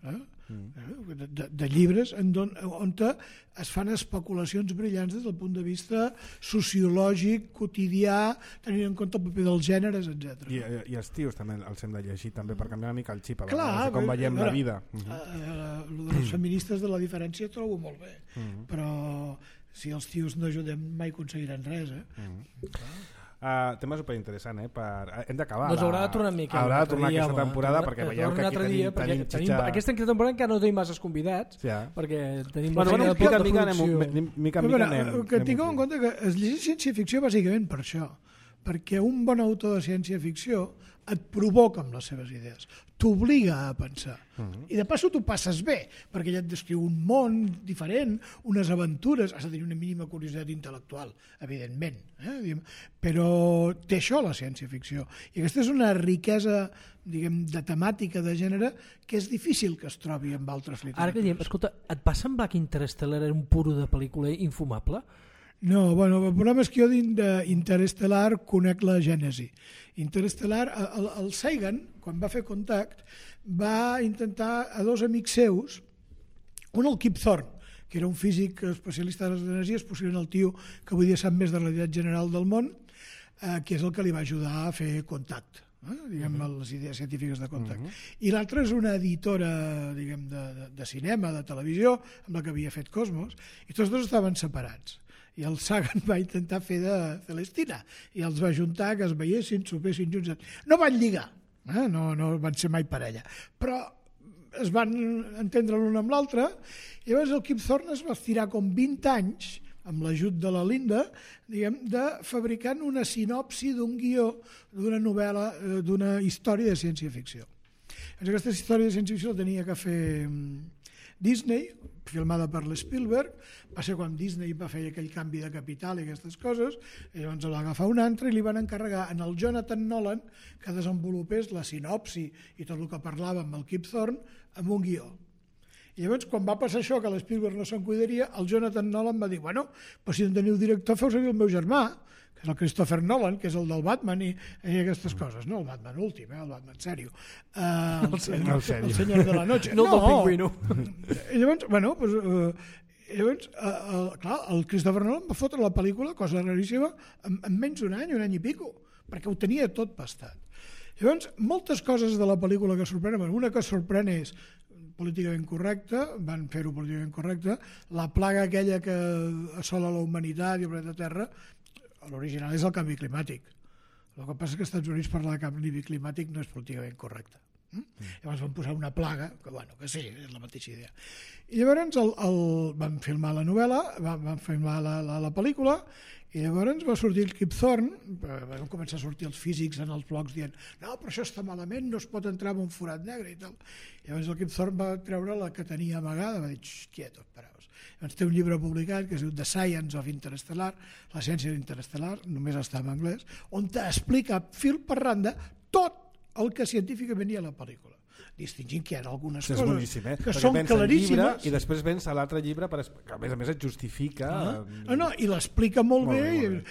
de llibres on es fan especulacions brillants des del punt de vista sociològic, quotidià, tenint en compte el paper dels gèneres, etc. I els tios també els hem de llegir també per canviar una mica el xip, com veiem la vida. Les feministes de la diferència trobo molt bé, però si els tios no ajudem mai aconseguiran res. Tema superinteressant, hem d'acabar. Doncs haurà de tornar una mica. Haurà de tornar aquesta temporada perquè veieu que aquí tenim xitxa. Aquesta temporada encara no tenim masses convidats, perquè tenim mica que tingueu en compte que es llegeix ciència-ficció bàsicament per això, perquè un bon autor de ciència-ficció et provoca amb les seves idees, t'obliga a pensar. I de passo t'ho passes bé, perquè ja et descriu un món diferent, unes aventures, has de tenir una mínima curiositat intel·lectual, evidentment, però té això la ciència-ficció. I aquesta és una riquesa, de temàtica, de gènere, que és difícil que es trobi amb altres literatures. Ara que diem, escolta, et va semblar que Interstellar era un puro de pel·lícula infumable? No, el problema és que jo d'Interestel·lar conec la gènesi. Interestelar, el Sagan, quan va fer Contact, va intentar a dos amics seus, un el Kip Thorne, que era un físic especialista de les energies, possiblement el tio que avui dia sap més de la realitat general del món, que és el que li va ajudar a fer Contact, les idees científiques de Contact. I l'altre és una editora de cinema, de televisió, amb la que havia fet Cosmos, i tots dos estaven separats. I el Sagan va intentar fer de Celestina i els va juntar, que es veiessin, sopessin junts. No van lligar, no van ser mai parella, però es van entendre l'un amb l'altre. Llavors el Kip Thorne es va estirar com 20 anys, amb l'ajut de la Linda, de fabricant una sinopsi d'un guió d'una novel·la, d'una història de ciència-ficció. Aquesta història de ciència-ficció la tenia que fer Disney, filmada per l'Spielberg. Va ser quan Disney va fer aquell canvi de capital i aquestes coses, i llavors el va agafar un altre i li van encarregar en el Jonathan Nolan que desenvolupés la sinopsi i tot el que parlava amb el Kip Thorne amb un guió. I llavors, quan va passar això, que l'Spielberg no se'n cuidaria, el Jonathan Nolan va dir, bueno, però si no teniu director, feu servir el meu germà, que és el Christopher Nolan, que és el del Batman i aquestes coses, no el Batman últim, el Batman sèrio. El senyor de la noche. No el del pingüino. I llavors, bueno, pues, clar, el Christopher Nolan va fotre la pel·lícula, cosa raríssima, en menys d'un any i pico, perquè ho tenia tot pastat. Llavors, moltes coses de la pel·lícula que sorprenen, una que sorprèn és políticament correcta, van fer-ho políticament correcte, la plaga aquella que assola la humanitat i el planeta Terra, l'original és el canvi climàtic. El que passa és que als Estats Units parlar de canvi climàtic no és políticament correcte. Llavors van posar una plaga, que bueno, que sí, és la mateixa idea. I llavors van filmar la novel·la, van filmar la pel·lícula, i llavors va sortir el Kip Thorne, van començar a sortir els físics en els blogs dient no, però això està malament, no es pot entrar en un forat negre i tal. Llavors el Kip Thorne va treure la que tenia amagada, va dir, quietos, paraos. Llavors té un llibre publicat que es diu The Science of Interstellar, la ciència d'interestel·lar, només està en anglès, on t'explica fil per randa tot el que científicament hi ha a la pel·lícula, distingint que hi ha algunes coses boníssim, que són claríssimes. I després vens a l'altre llibre que a més et justifica... I l'explica molt bé,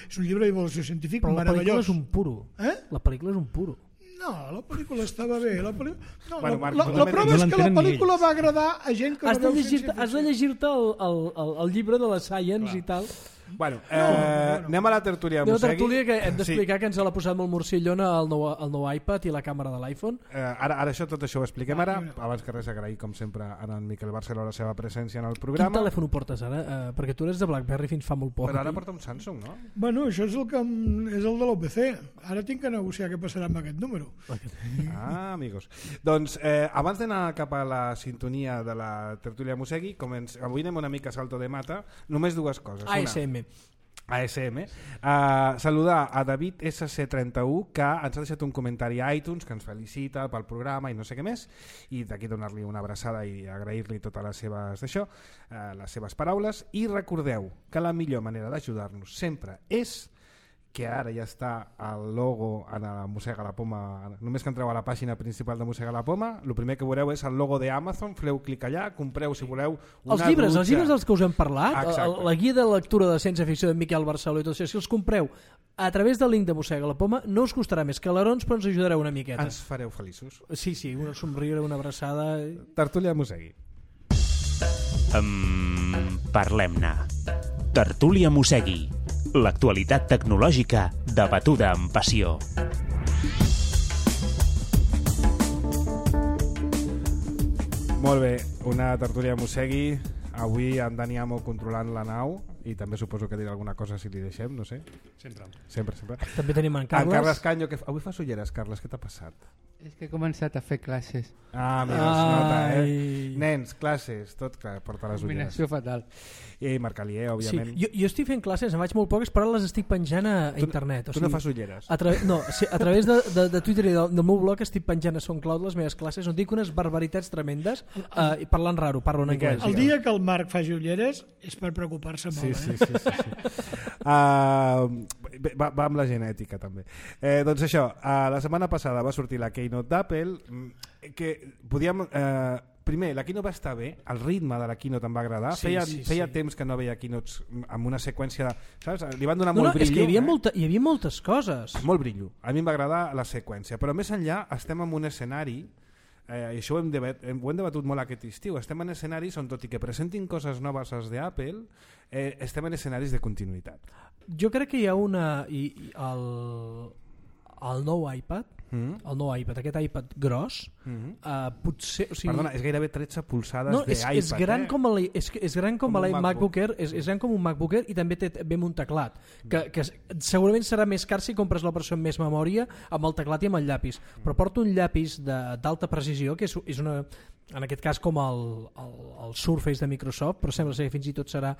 és un llibre d'evolució científica meravellós. Però la pel·lícula és un puro. La pel·lícula és un puro. No, la pel·lícula estava bé. La prova és que la pel·lícula va agradar a gent que has de llegir-te el llibre de la Science i tal. Bueno, anem a la tertúlia Mosegui. Una tertúlia que hem d'explicar que ens l'ha posat molt morcillona el nou iPad i la càmera de l'iPhone. Ara tot això ho expliquem ara. Abans que res, agrair com sempre a en Miquel Barceló la seva presència en el programa. Quin telèfon ho portes ara? Perquè tu eres de BlackBerry fins fa molt poc. Però ara porta un Samsung, no? Bueno, això és el de l'OPC. Ara tinc que negociar què passarà amb aquest número. Amigos. Doncs abans d'anar cap a la sintonia de la tertúlia Mosegui, avui anem una mica a salto de mata, només dues coses. ASM. Saludar a David SC31, que ens ha deixat un comentari a iTunes, que ens felicita pel programa i no sé què més, i d'aquí donar-li una abraçada i agrair-li totes les seves paraules. I recordeu que la millor manera d'ajudar-nos sempre és que ara ja està el logo en la Mossega la Poma. Només que entreu a la pàgina principal de Mossega la Poma, el primer que veureu és el logo d'Amazon, feu clic allà, compreu si voleu una els llibres dels que us hem parlat, la guia de lectura de ciència-ficció de Miquel Barceló i tot això, si els compreu a través del link de Mossega la Poma, no us costarà més calarons, però ens ajudareu una miqueta. Ens fareu feliços. Sí, un somriure, una abraçada. Tertúlia Mosegui. Parlem-ne. Tertúlia Mosegui. L'actualitat tecnològica debatuda amb passió. Molt bé, una tertúlia Mosegui. Avui en Dani Amo controlant la nau i també suposo que dirà alguna cosa si li deixem, no sé. Sempre. També tenim en Carles. En Carles Canyo, que avui fa ulleres, Carles, què t'ha passat? És que he començat a fer classes. Mira, es nota, Nens, classes, tot clar, porta les ulleres. Combinació fatal. I Marcalier, òbviament. Sí, jo estic fent classes, en faig molt poques, però les estic penjant a internet. Tu no fas ulleres? A través de Twitter i del meu blog estic penjant a SoundCloud les meves classes, on dic unes barbaritats tremendes, parlant raro, parlo en anglès. El dia que el Marc faci ulleres és per preocupar-se molt. Sí. Va amb la genètica també. Doncs això, la setmana passada va sortir la Keynote d'Apple, que podíem... Primer, la Keynote va estar bé, el ritme de la Keynote em va agradar, feia temps que no veia Keynotes amb una seqüència de... Saps? Li van donar molt brillo. És que hi havia moltes coses. Molt brillo, a mi em va agradar la seqüència, però més enllà estem en un escenari, i això ho hem debatut molt aquest estiu, estem en escenaris on tot i que presentin coses noves als d'Apple, estem en escenaris de continuïtat. Jo crec que hi ha el nou iPad, aquest iPad gros, potser... Perdona, és gairebé 13 polzades d'iPad. És gran com l'iMacBook Air, és gran com un MacBook Air i també ve amb un teclat, que segurament serà més car si compres la versió amb més memòria, amb el teclat i amb el llapis. Però porta un llapis d'alta precisió, que és una... En aquest cas com el Surface de Microsoft, però sembla ser que fins i tot serà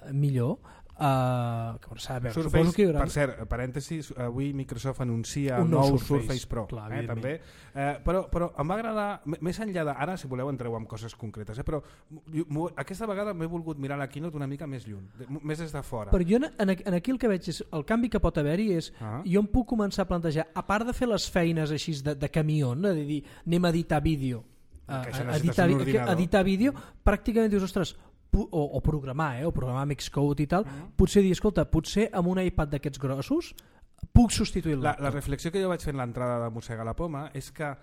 millor. Surface, per cert, parèntesis, avui Microsoft anuncia el nou Surface Pro. Clar, també. Però em va agradar, més enllà de... Ara, si voleu, entreu en coses concretes, però aquesta vegada m'he volgut mirar la keynote una mica més lluny, més des de fora. Però jo aquí el que veig és, el canvi que pot haver-hi és, jo em puc començar a plantejar, a part de fer les feines així de camió, de dir, anem a editar vídeo, editar vídeo, pràcticament dius, ostres, o programar Xcode i tal, potser dir, escolta, potser amb un iPad d'aquests grossos puc substituir la reflexió que jo vaig fer en l'entrada de Mossega la Poma és que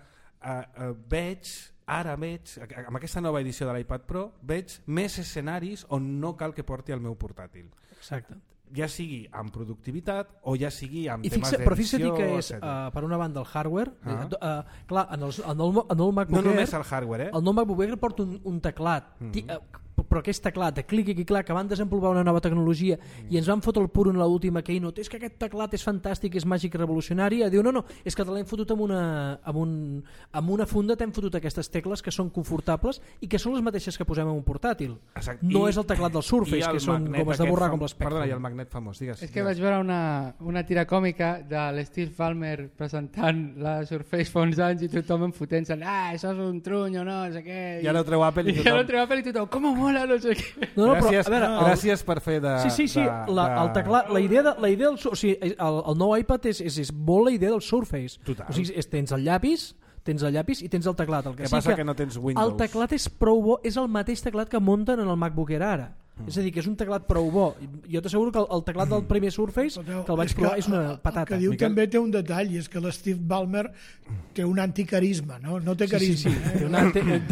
veig, amb aquesta nova edició de l'iPad Pro, veig més escenaris on no cal que porti el meu portàtil. Exacte. Ja sigui amb productivitat o ja sigui amb temes d'edició. Però fixa't que és, per una banda, el hardware. Clar, en el MacBook Air... No només el hardware, El nou MacBook Air porta un teclat, però aquest teclat de clic i clac, que van desenvolupar una nova tecnologia i ens van fotre el puro en l'última keynote, és que aquest teclat és fantàstic, és màgic i revolucionari, diu no, és que te l'hem fotut amb una funda, t'hem fotut aquestes tecles que són confortables i que són les mateixes que posem en un portàtil. No és el teclat del Surface, que són gomes de borrar com l'Spectrum. Perdona, i el magnet famós, digues. És que vaig veure una tira còmica de l'Steve Ballmer presentant la Surface fa uns anys i tothom enfotent-se, això és un truny o no sé què. I ara ho treu Apple i tothom, com mola, no sé què. Gràcies per fer de... Sí, el teclat, la idea del... O sigui, el nou iPad és molt la idea del Surface. Total. O sigui, tens el llapis i tens el teclat. El que passa que no tens Windows. El teclat és prou bo, és el mateix teclat que munten en el MacBook Air ara. És a dir, que és un teclat prou bo. Jo t'asseguro que el teclat del primer Surface, que el vaig provar, és una patata. El que diu també té un detall, i és que l'Steve Ballmer té un anticarisma, no té carisma. Sí.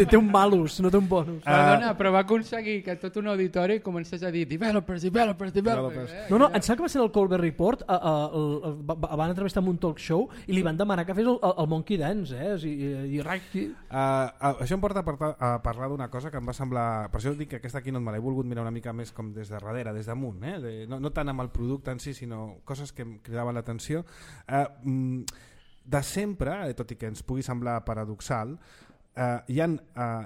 Té un malus, no té un bonus. Perdona, però va aconseguir que tot un auditori comencés a dir developers. No, em sembla que va ser el Colbert Report, van entrevistar en un talk show i li van demanar que fes el Monkey Dance, Això em porta a parlar d'una cosa que em va semblar... Per això dic que aquesta aquí no me l'he volgut mirar una mica més com des de darrere, des damunt, no tant amb el producte en si, sinó coses que em cridaven l'atenció. De sempre, tot i que ens pugui semblar paradoxal, hi ha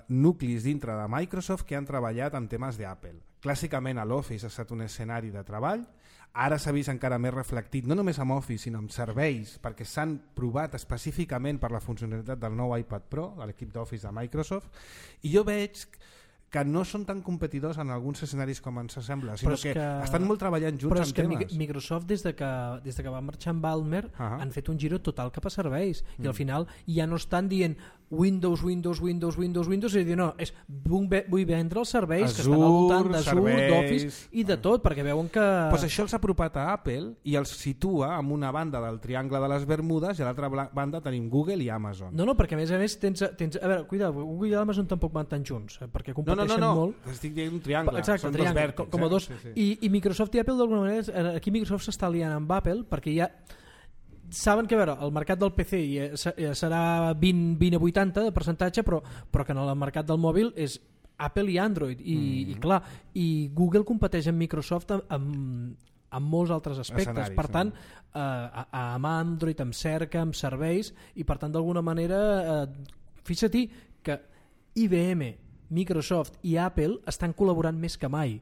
nuclis dintre de Microsoft que han treballat en temes d'Apple. Clàssicament l'Office ha estat un escenari de treball, ara s'ha vist encara més reflectit, no només amb Office, sinó amb serveis, perquè s'han provat específicament per la funcionalitat del nou iPad Pro, de l'equip d'Office de Microsoft, i jo veig que no són tan competidors en alguns escenaris com ens sembla, sinó que estan molt treballant junts en temes. Però és que Microsoft, des de que va marxar amb Ballmer, han fet un giro total cap a serveis, i al final ja no estan dient Windows, és dir, no, és vull vendre els serveis que estan al voltant d'Azure, d'Office i de tot, perquè veuen que... Pues això els ha apropat a Apple i els situa en una banda del triangle de les Bermudes i a l'altra banda tenim Google i Amazon. No, perquè a més tens... A veure, cuida, Google i Amazon tampoc van tan junts, perquè competeixen molt. No, estic dient un triangle. Exacte, són triangle, dos vèrtexs. Com a dos. Sí. I Microsoft i Apple, d'alguna manera, aquí Microsoft s'està liant amb Apple, perquè ja saben que, a veure, el mercat del PC serà 20 a 80 de percentatge, però que en el mercat del mòbil és Apple i Android, i clar, i Google competeix amb Microsoft amb molts altres aspectes, per tant amb Android, amb cerca, amb serveis, i per tant d'alguna manera fixa't que IBM, Microsoft i Apple estan col·laborant més que mai.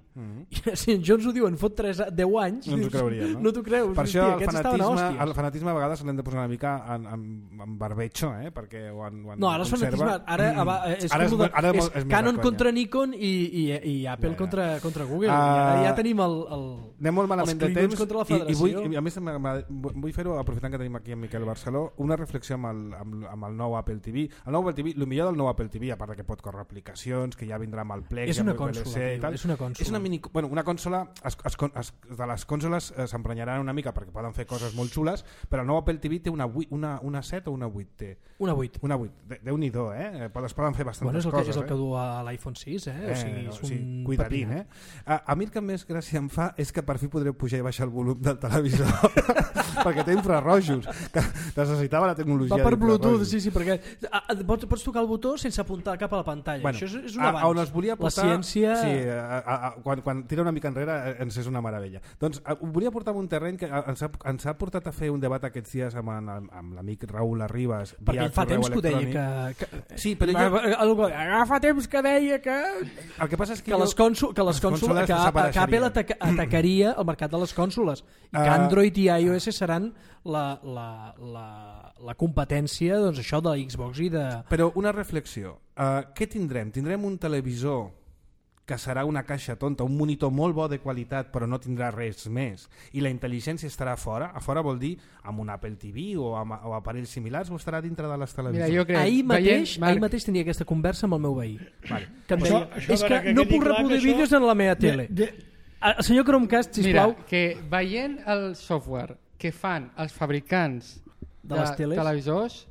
Si jo ens ho diuen fot 10 anys, no ens ho creuríem, no? No t'ho creus. Per això el fanatisme a vegades l'hem de posar una mica en barbecho, perquè no, ara és fanatisme, ara és Canon contra Nikon i Apple contra Google. Ja tenim anem molt malament de temps contra la federació. I a més vull fer-ho, aprofitant que tenim aquí en Miquel Barceló, una reflexió amb el nou Apple TV. El nou Apple TV, el millor del nou Apple TV, a part que pot córrer aplicacions, que ja vindrà amb el Plex, és una consola, és una consola, de les consoles s'emprenyaran una mica perquè poden fer coses molt xules, però el nou Apple TV té una 7 o una 8 té? Una 8. Déu-n'hi-do, es poden fer bastantes coses. És el que du a l'iPhone 6, o sigui, és un cuidadín, A mi el que més gràcia em fa és que per fi podré pujar i baixar el volum del televisor perquè té infrarrojos, que necessitava la tecnologia. Va per Bluetooth, sí, perquè pots tocar el botó sense apuntar cap a la pantalla. Bueno, això un avanç. On es volia portar, la ciència... Sí, quan tira una mica enrere ens és una meravella. Doncs ho volia portar en un terreny que ens ha portat a fer un debat aquests dies amb l'amic Raül Arribas. Perquè fa temps que ho deia que... Sí, però fa temps que deia que... El que passa és que Apple atacaria el mercat de les cònsoles i que Android i iOS seran la competència, doncs, això de la Xbox i de... Però una reflexió. Què tindrem? Tindrem un televisor que serà una caixa tonta, un monitor molt bo de qualitat però no tindrà res més, i la intel·ligència estarà a fora? A fora vol dir amb un Apple TV o aparells similars, o estarà dintre de les televisions? Mira, jo crec, ahir mateix tenia aquesta conversa amb el meu veí. Vale. Que em deia, és que no puc reproduir vídeos en la meva tele. El senyor Chromecast, sisplau. Mira, que veient el software que fan els fabricants de televisors,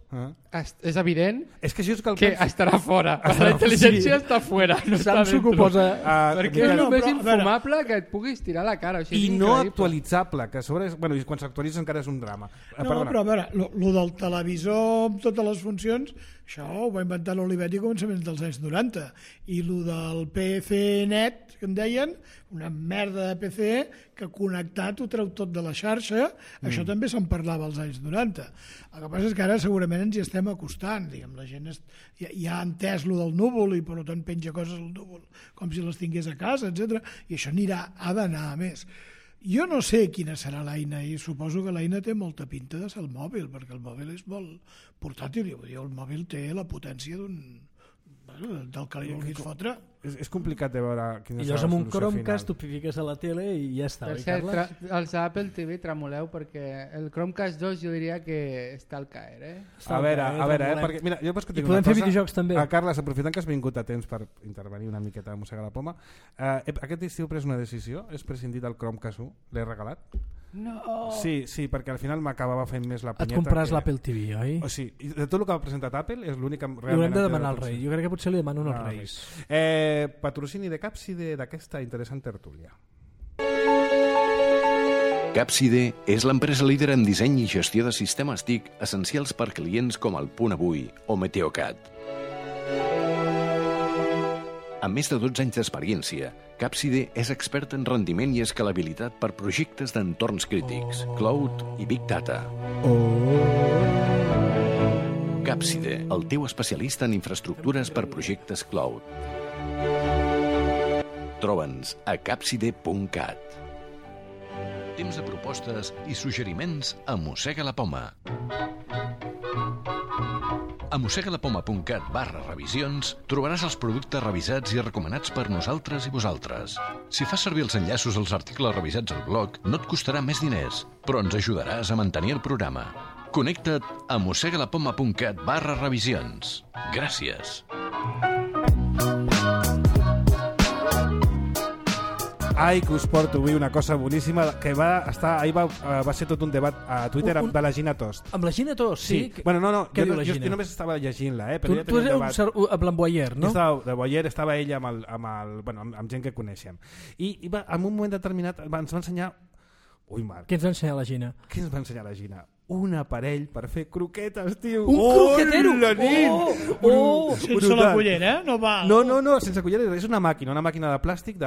és evident que estarà fora. La intel·ligència està fora, no està dentro. Perquè és el més infumable que et puguis tirar a la cara. I no actualitzable, que a sobre quan s'actualitza encara és un drama. No, però a veure, lo del televisor amb totes les funcions, això ho va inventar l'Olivetti a començaments dels anys 90, i lo del PC net, que en deien, una merda de PC que connectat ho treu tot de la xarxa, això també se'n parlava als anys 90. El que passa és que ara segurament ens hi estem acostant, diguem, la gent ja ha entès lo del núvol i per tant penja coses al núvol com si les tingués a casa, etc. I això ha d'anar a més. Jo no sé quina serà l'eina i suposo que l'eina té molta pinta de ser el mòbil, perquè el mòbil és molt portàtil, el mòbil té la potència del que li vulguis fotre. És complicat de veure quina serà la solució final. I llavors amb un Chromecast tu fiques a la tele i ja està. Per cert, els Apple TV tremoleu perquè el Chromecast 2 jo diria que està al caer. A veure, perquè mira, jo pots que tinc una cosa. I podem fer videojocs també. Carles, aprofitant que has vingut a temps per intervenir una miqueta a mossegar la poma, aquest estiu he pres una decisió, he prescindit el Chromecast 1, l'he regalat. No. Sí, perquè al final m'acabava fent més la punyeta. Et compraràs l'Apple TV, oi? O sigui, de tot el que ha presentat Apple és l'únic que realment... I haurem de demanar al rei. Jo crec que potser li demano als reis. Patrocini de Capside d'aquesta interessant tertúlia. Capside és l'empresa líder en disseny i gestió de sistemes TIC essencials per clients com el Punt Avui o Meteocat. Amb més de 12 anys d'experiència, Capside és expert en rendiment i escalabilitat per projectes d'entorns crítics, cloud i big data. Capside, el teu especialista en infraestructures per projectes cloud. Troba'ns a capside.cat. Temps de propostes i suggeriments a Mossega la Poma. A mossegalapoma.cat/revisions trobaràs els productes revisats i recomanats per nosaltres i vosaltres. Si fas servir els enllaços als articles revisats al blog, no et costarà més diners, però ens ajudaràs a mantenir el programa. Connecta't a mossegalapoma.cat/revisions. Gràcies. Ai, que us porto avui una cosa boníssima que ahir va ser tot un debat a Twitter de la Gina Tost. Amb la Gina Tost, sí? Bueno, no, jo només estava llegint-la. Tu eres amb Boyer, no? De Boyer estava ella amb gent que coneixem. I en un moment determinat ens va ensenyar... Ui, Marc. Què ens va ensenyar la Gina? Què ens va ensenyar la Gina? Un aparell per fer croquetes, tio. Un croquetero! Sense la cullera, no val. No, sense cullera. És una màquina de plàstic de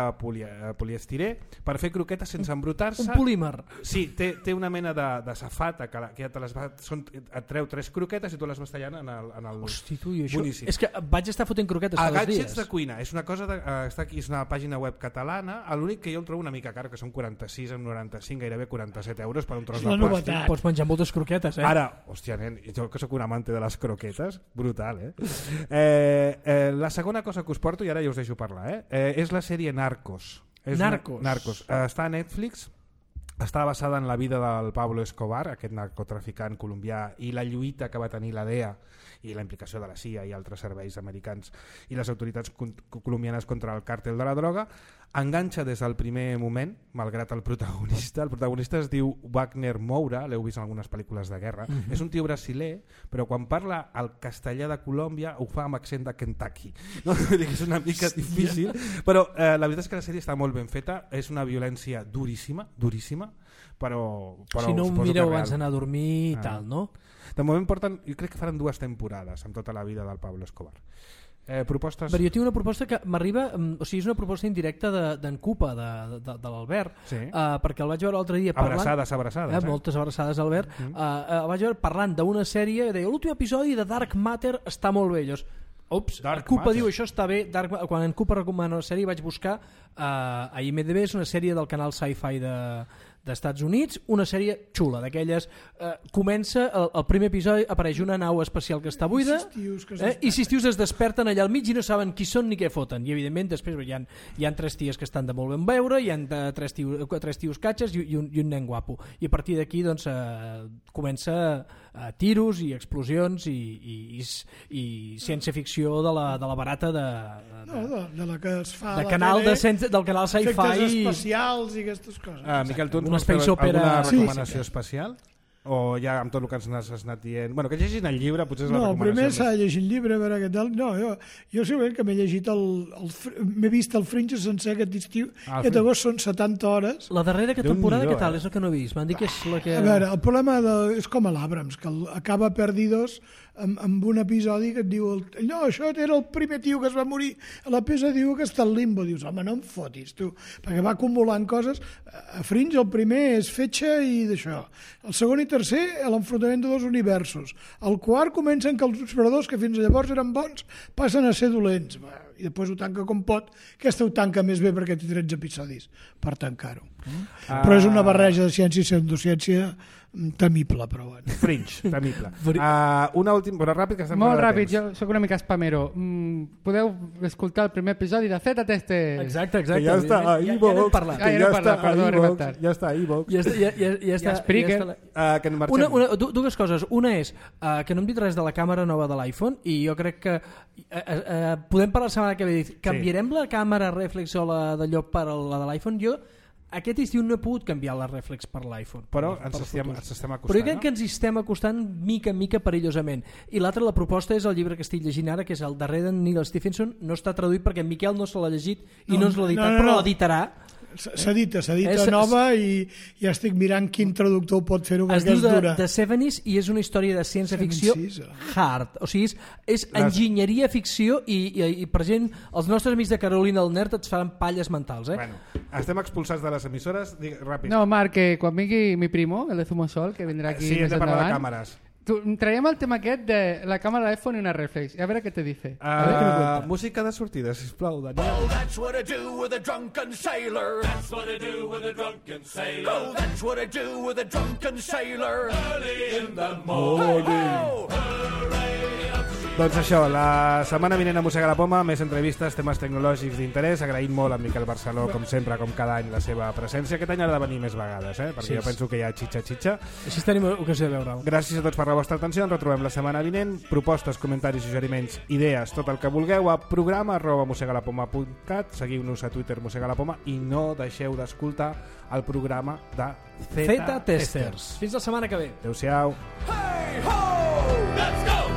poliestirè per fer croquetes sense embrutar-se. Un polímer. Sí, té una mena de safata que ja et treu 3 croquetes i tu les vas tallant en el... Hosti, tu, i això... Boníssim. És que vaig estar fotent croquetes cada dies. Gadgets de cuina. És una cosa està aquí, és una pàgina web catalana. L'únic que jo el trobo una mica car, que són 46 amb 95, gairebé 47 euros per un tros de plàstic. Pots menjar moltes croquetes, Ara, hòstia, nen, jo que sóc un amante de les croquetes, brutal, la segona cosa que us porto, i ara ja us deixo parlar, és la sèrie Narcos. Narcos. Està a Netflix, està basada en la vida del Pablo Escobar, aquest narcotraficant colombià, i la lluita que va tenir la DEA i la implicació de la CIA i altres serveis americans i les autoritats colombianes contra el càrtel de la droga. Enganxa des del primer moment, malgrat el protagonista. El protagonista es diu Wagner Moura, l'heu vist en algunes pel·lícules de guerra. És un tio brasiler, però quan parla el castellà de Colòmbia ho fa amb accent de Kentucky. No? És una mica difícil, però la veritat és que la sèrie està molt ben feta, és una violència duríssima, però si no ho mireu abans d'anar a dormir i tal, no? De moment porten, jo crec que faran 2 temporades amb tota la vida del Pablo Escobar. Propostes? Però jo tinc una proposta que m'arriba, o sigui, és una proposta indirecta d'en Cupa, de l'Albert, perquè el vaig veure l'altre dia parlant... Abraçades. Moltes abraçades, Albert. El vaig veure parlant d'una sèrie, deia, l'últim episodi de Dark Matter està molt bé. Llavors, Cupa diu, això està bé. Quan en Cupa recomana una sèrie vaig buscar a IMDb, és una sèrie del canal Sci-Fi d'Estats Units, una sèrie xula, d'aquelles... Comença, el primer episodi apareix una nau espacial que està buida i 6 tios es desperten allà al mig i no saben qui són ni què foten, i evidentment després hi ha 3 ties que estan de molt ben veure, hi ha 3 tios catxes i un nen guapo, i a partir d'aquí doncs, comença tiros i explosions i ciència-ficció de la barata de la que es fa de canal del canal Sci-Fi, efectes especials i aquestes coses. Miquel, tu una space opera, alguna recomanació especial? O ja amb tot el que ens has anat dient... Bueno, que llegin el llibre, potser és la recomanació. Primer s'ha llegit el llibre, a veure què tal. No, jo segurament que m'he llegit m'he vist el Fringe sencer aquest estiu, aquest agost són 70 hores. La darrera temporada què tal? És el que no he vist. M'han dit que és la que... A veure, el problema és com a l'Abrams, que acaba perdidos amb un episodi que et diu no, això era el primer tio que es va morir a la peça, diu que està al limbo. Dius, home, no em fotis, tu, perquè va acumulant coses. A Fringe el primer és fetge i d'això. El segon i tercer, l'enfrontament de dos universos. El quart comencen que els operadors que fins llavors eren bons passen a ser dolents. I després ho tanca com pot. Aquesta ho tanca més bé perquè té 13 episodis per tancar-ho. Però és una barreja de ciència i pseudociència temible, però bueno. Fringe, temible. Una última, però ràpid, que estem molt ràpid, jo soc una mica spamero. Podeu escoltar el primer episodi de Zeta Testes. Exacte. Que ja està a iVox. Ja està a iVox. Ja està a Spreaker. Dues coses. Una és que no hem dit res de la càmera nova de l'iPhone i jo crec que podem parlar la setmana que ve. Canviarem la càmera reflex o la d'allò per la de l'iPhone? Jo aquest estiu no he pogut canviar la reflex per l'iPhone. Però ens estem acostant. Però jo crec que ens estem acostant mica en mica perillosament. I l'altra, la proposta és el llibre que estic llegint ara, que és el darrer d'en Neil Stephenson. No està traduït perquè en Miquel no se l'ha llegit i no ens l'ha editat, però l'editarà. S'edita nova i ja estic mirant quin traductor pot fer-ho perquè es diu The 70s i és una història de ciència-ficció hard, o sigui és enginyeria ficció i per gent, els nostres amics de Carolina del Nerd et faran palles mentals. Bueno, estem expulsats de les emissores, ràpid. No, Marc, que quan vingui mi primo, el de Zumosol, que vindrà aquí més endavant. Sí, hem de parlar de càmeres. Traiem el tema aquest de la càmera de l'iPhone i una reflex. A veure què te dice. Música de sortida, sisplau, Daniel. Oh, that's what I do with a drunken sailor. That's what I do with a drunken sailor. Oh, that's what I do with a drunken sailor. Early in the morning. Doncs això, la setmana vinent a Mossega la Poma, més entrevistes, temes tecnològics d'interès. Agraïm molt a Miquel Barceló, com sempre, com cada any, la seva presència. Aquest any ha de venir més vegades, perquè jo penso que hi ha xitxa. Així tenim ocasió de veure'l. Gràcies a tots per la vostra atenció, ens retrobem la setmana vinent. Propostes, comentaris, suggeriments, idees, tot el que vulgueu a programa@mossegalapoma.cat. Seguiu-nos a Twitter Mossegalapoma i no deixeu d'escoltar el programa de Zeta Testers. Fins la setmana que ve. Adéu-siau. Hey ho! Let's go!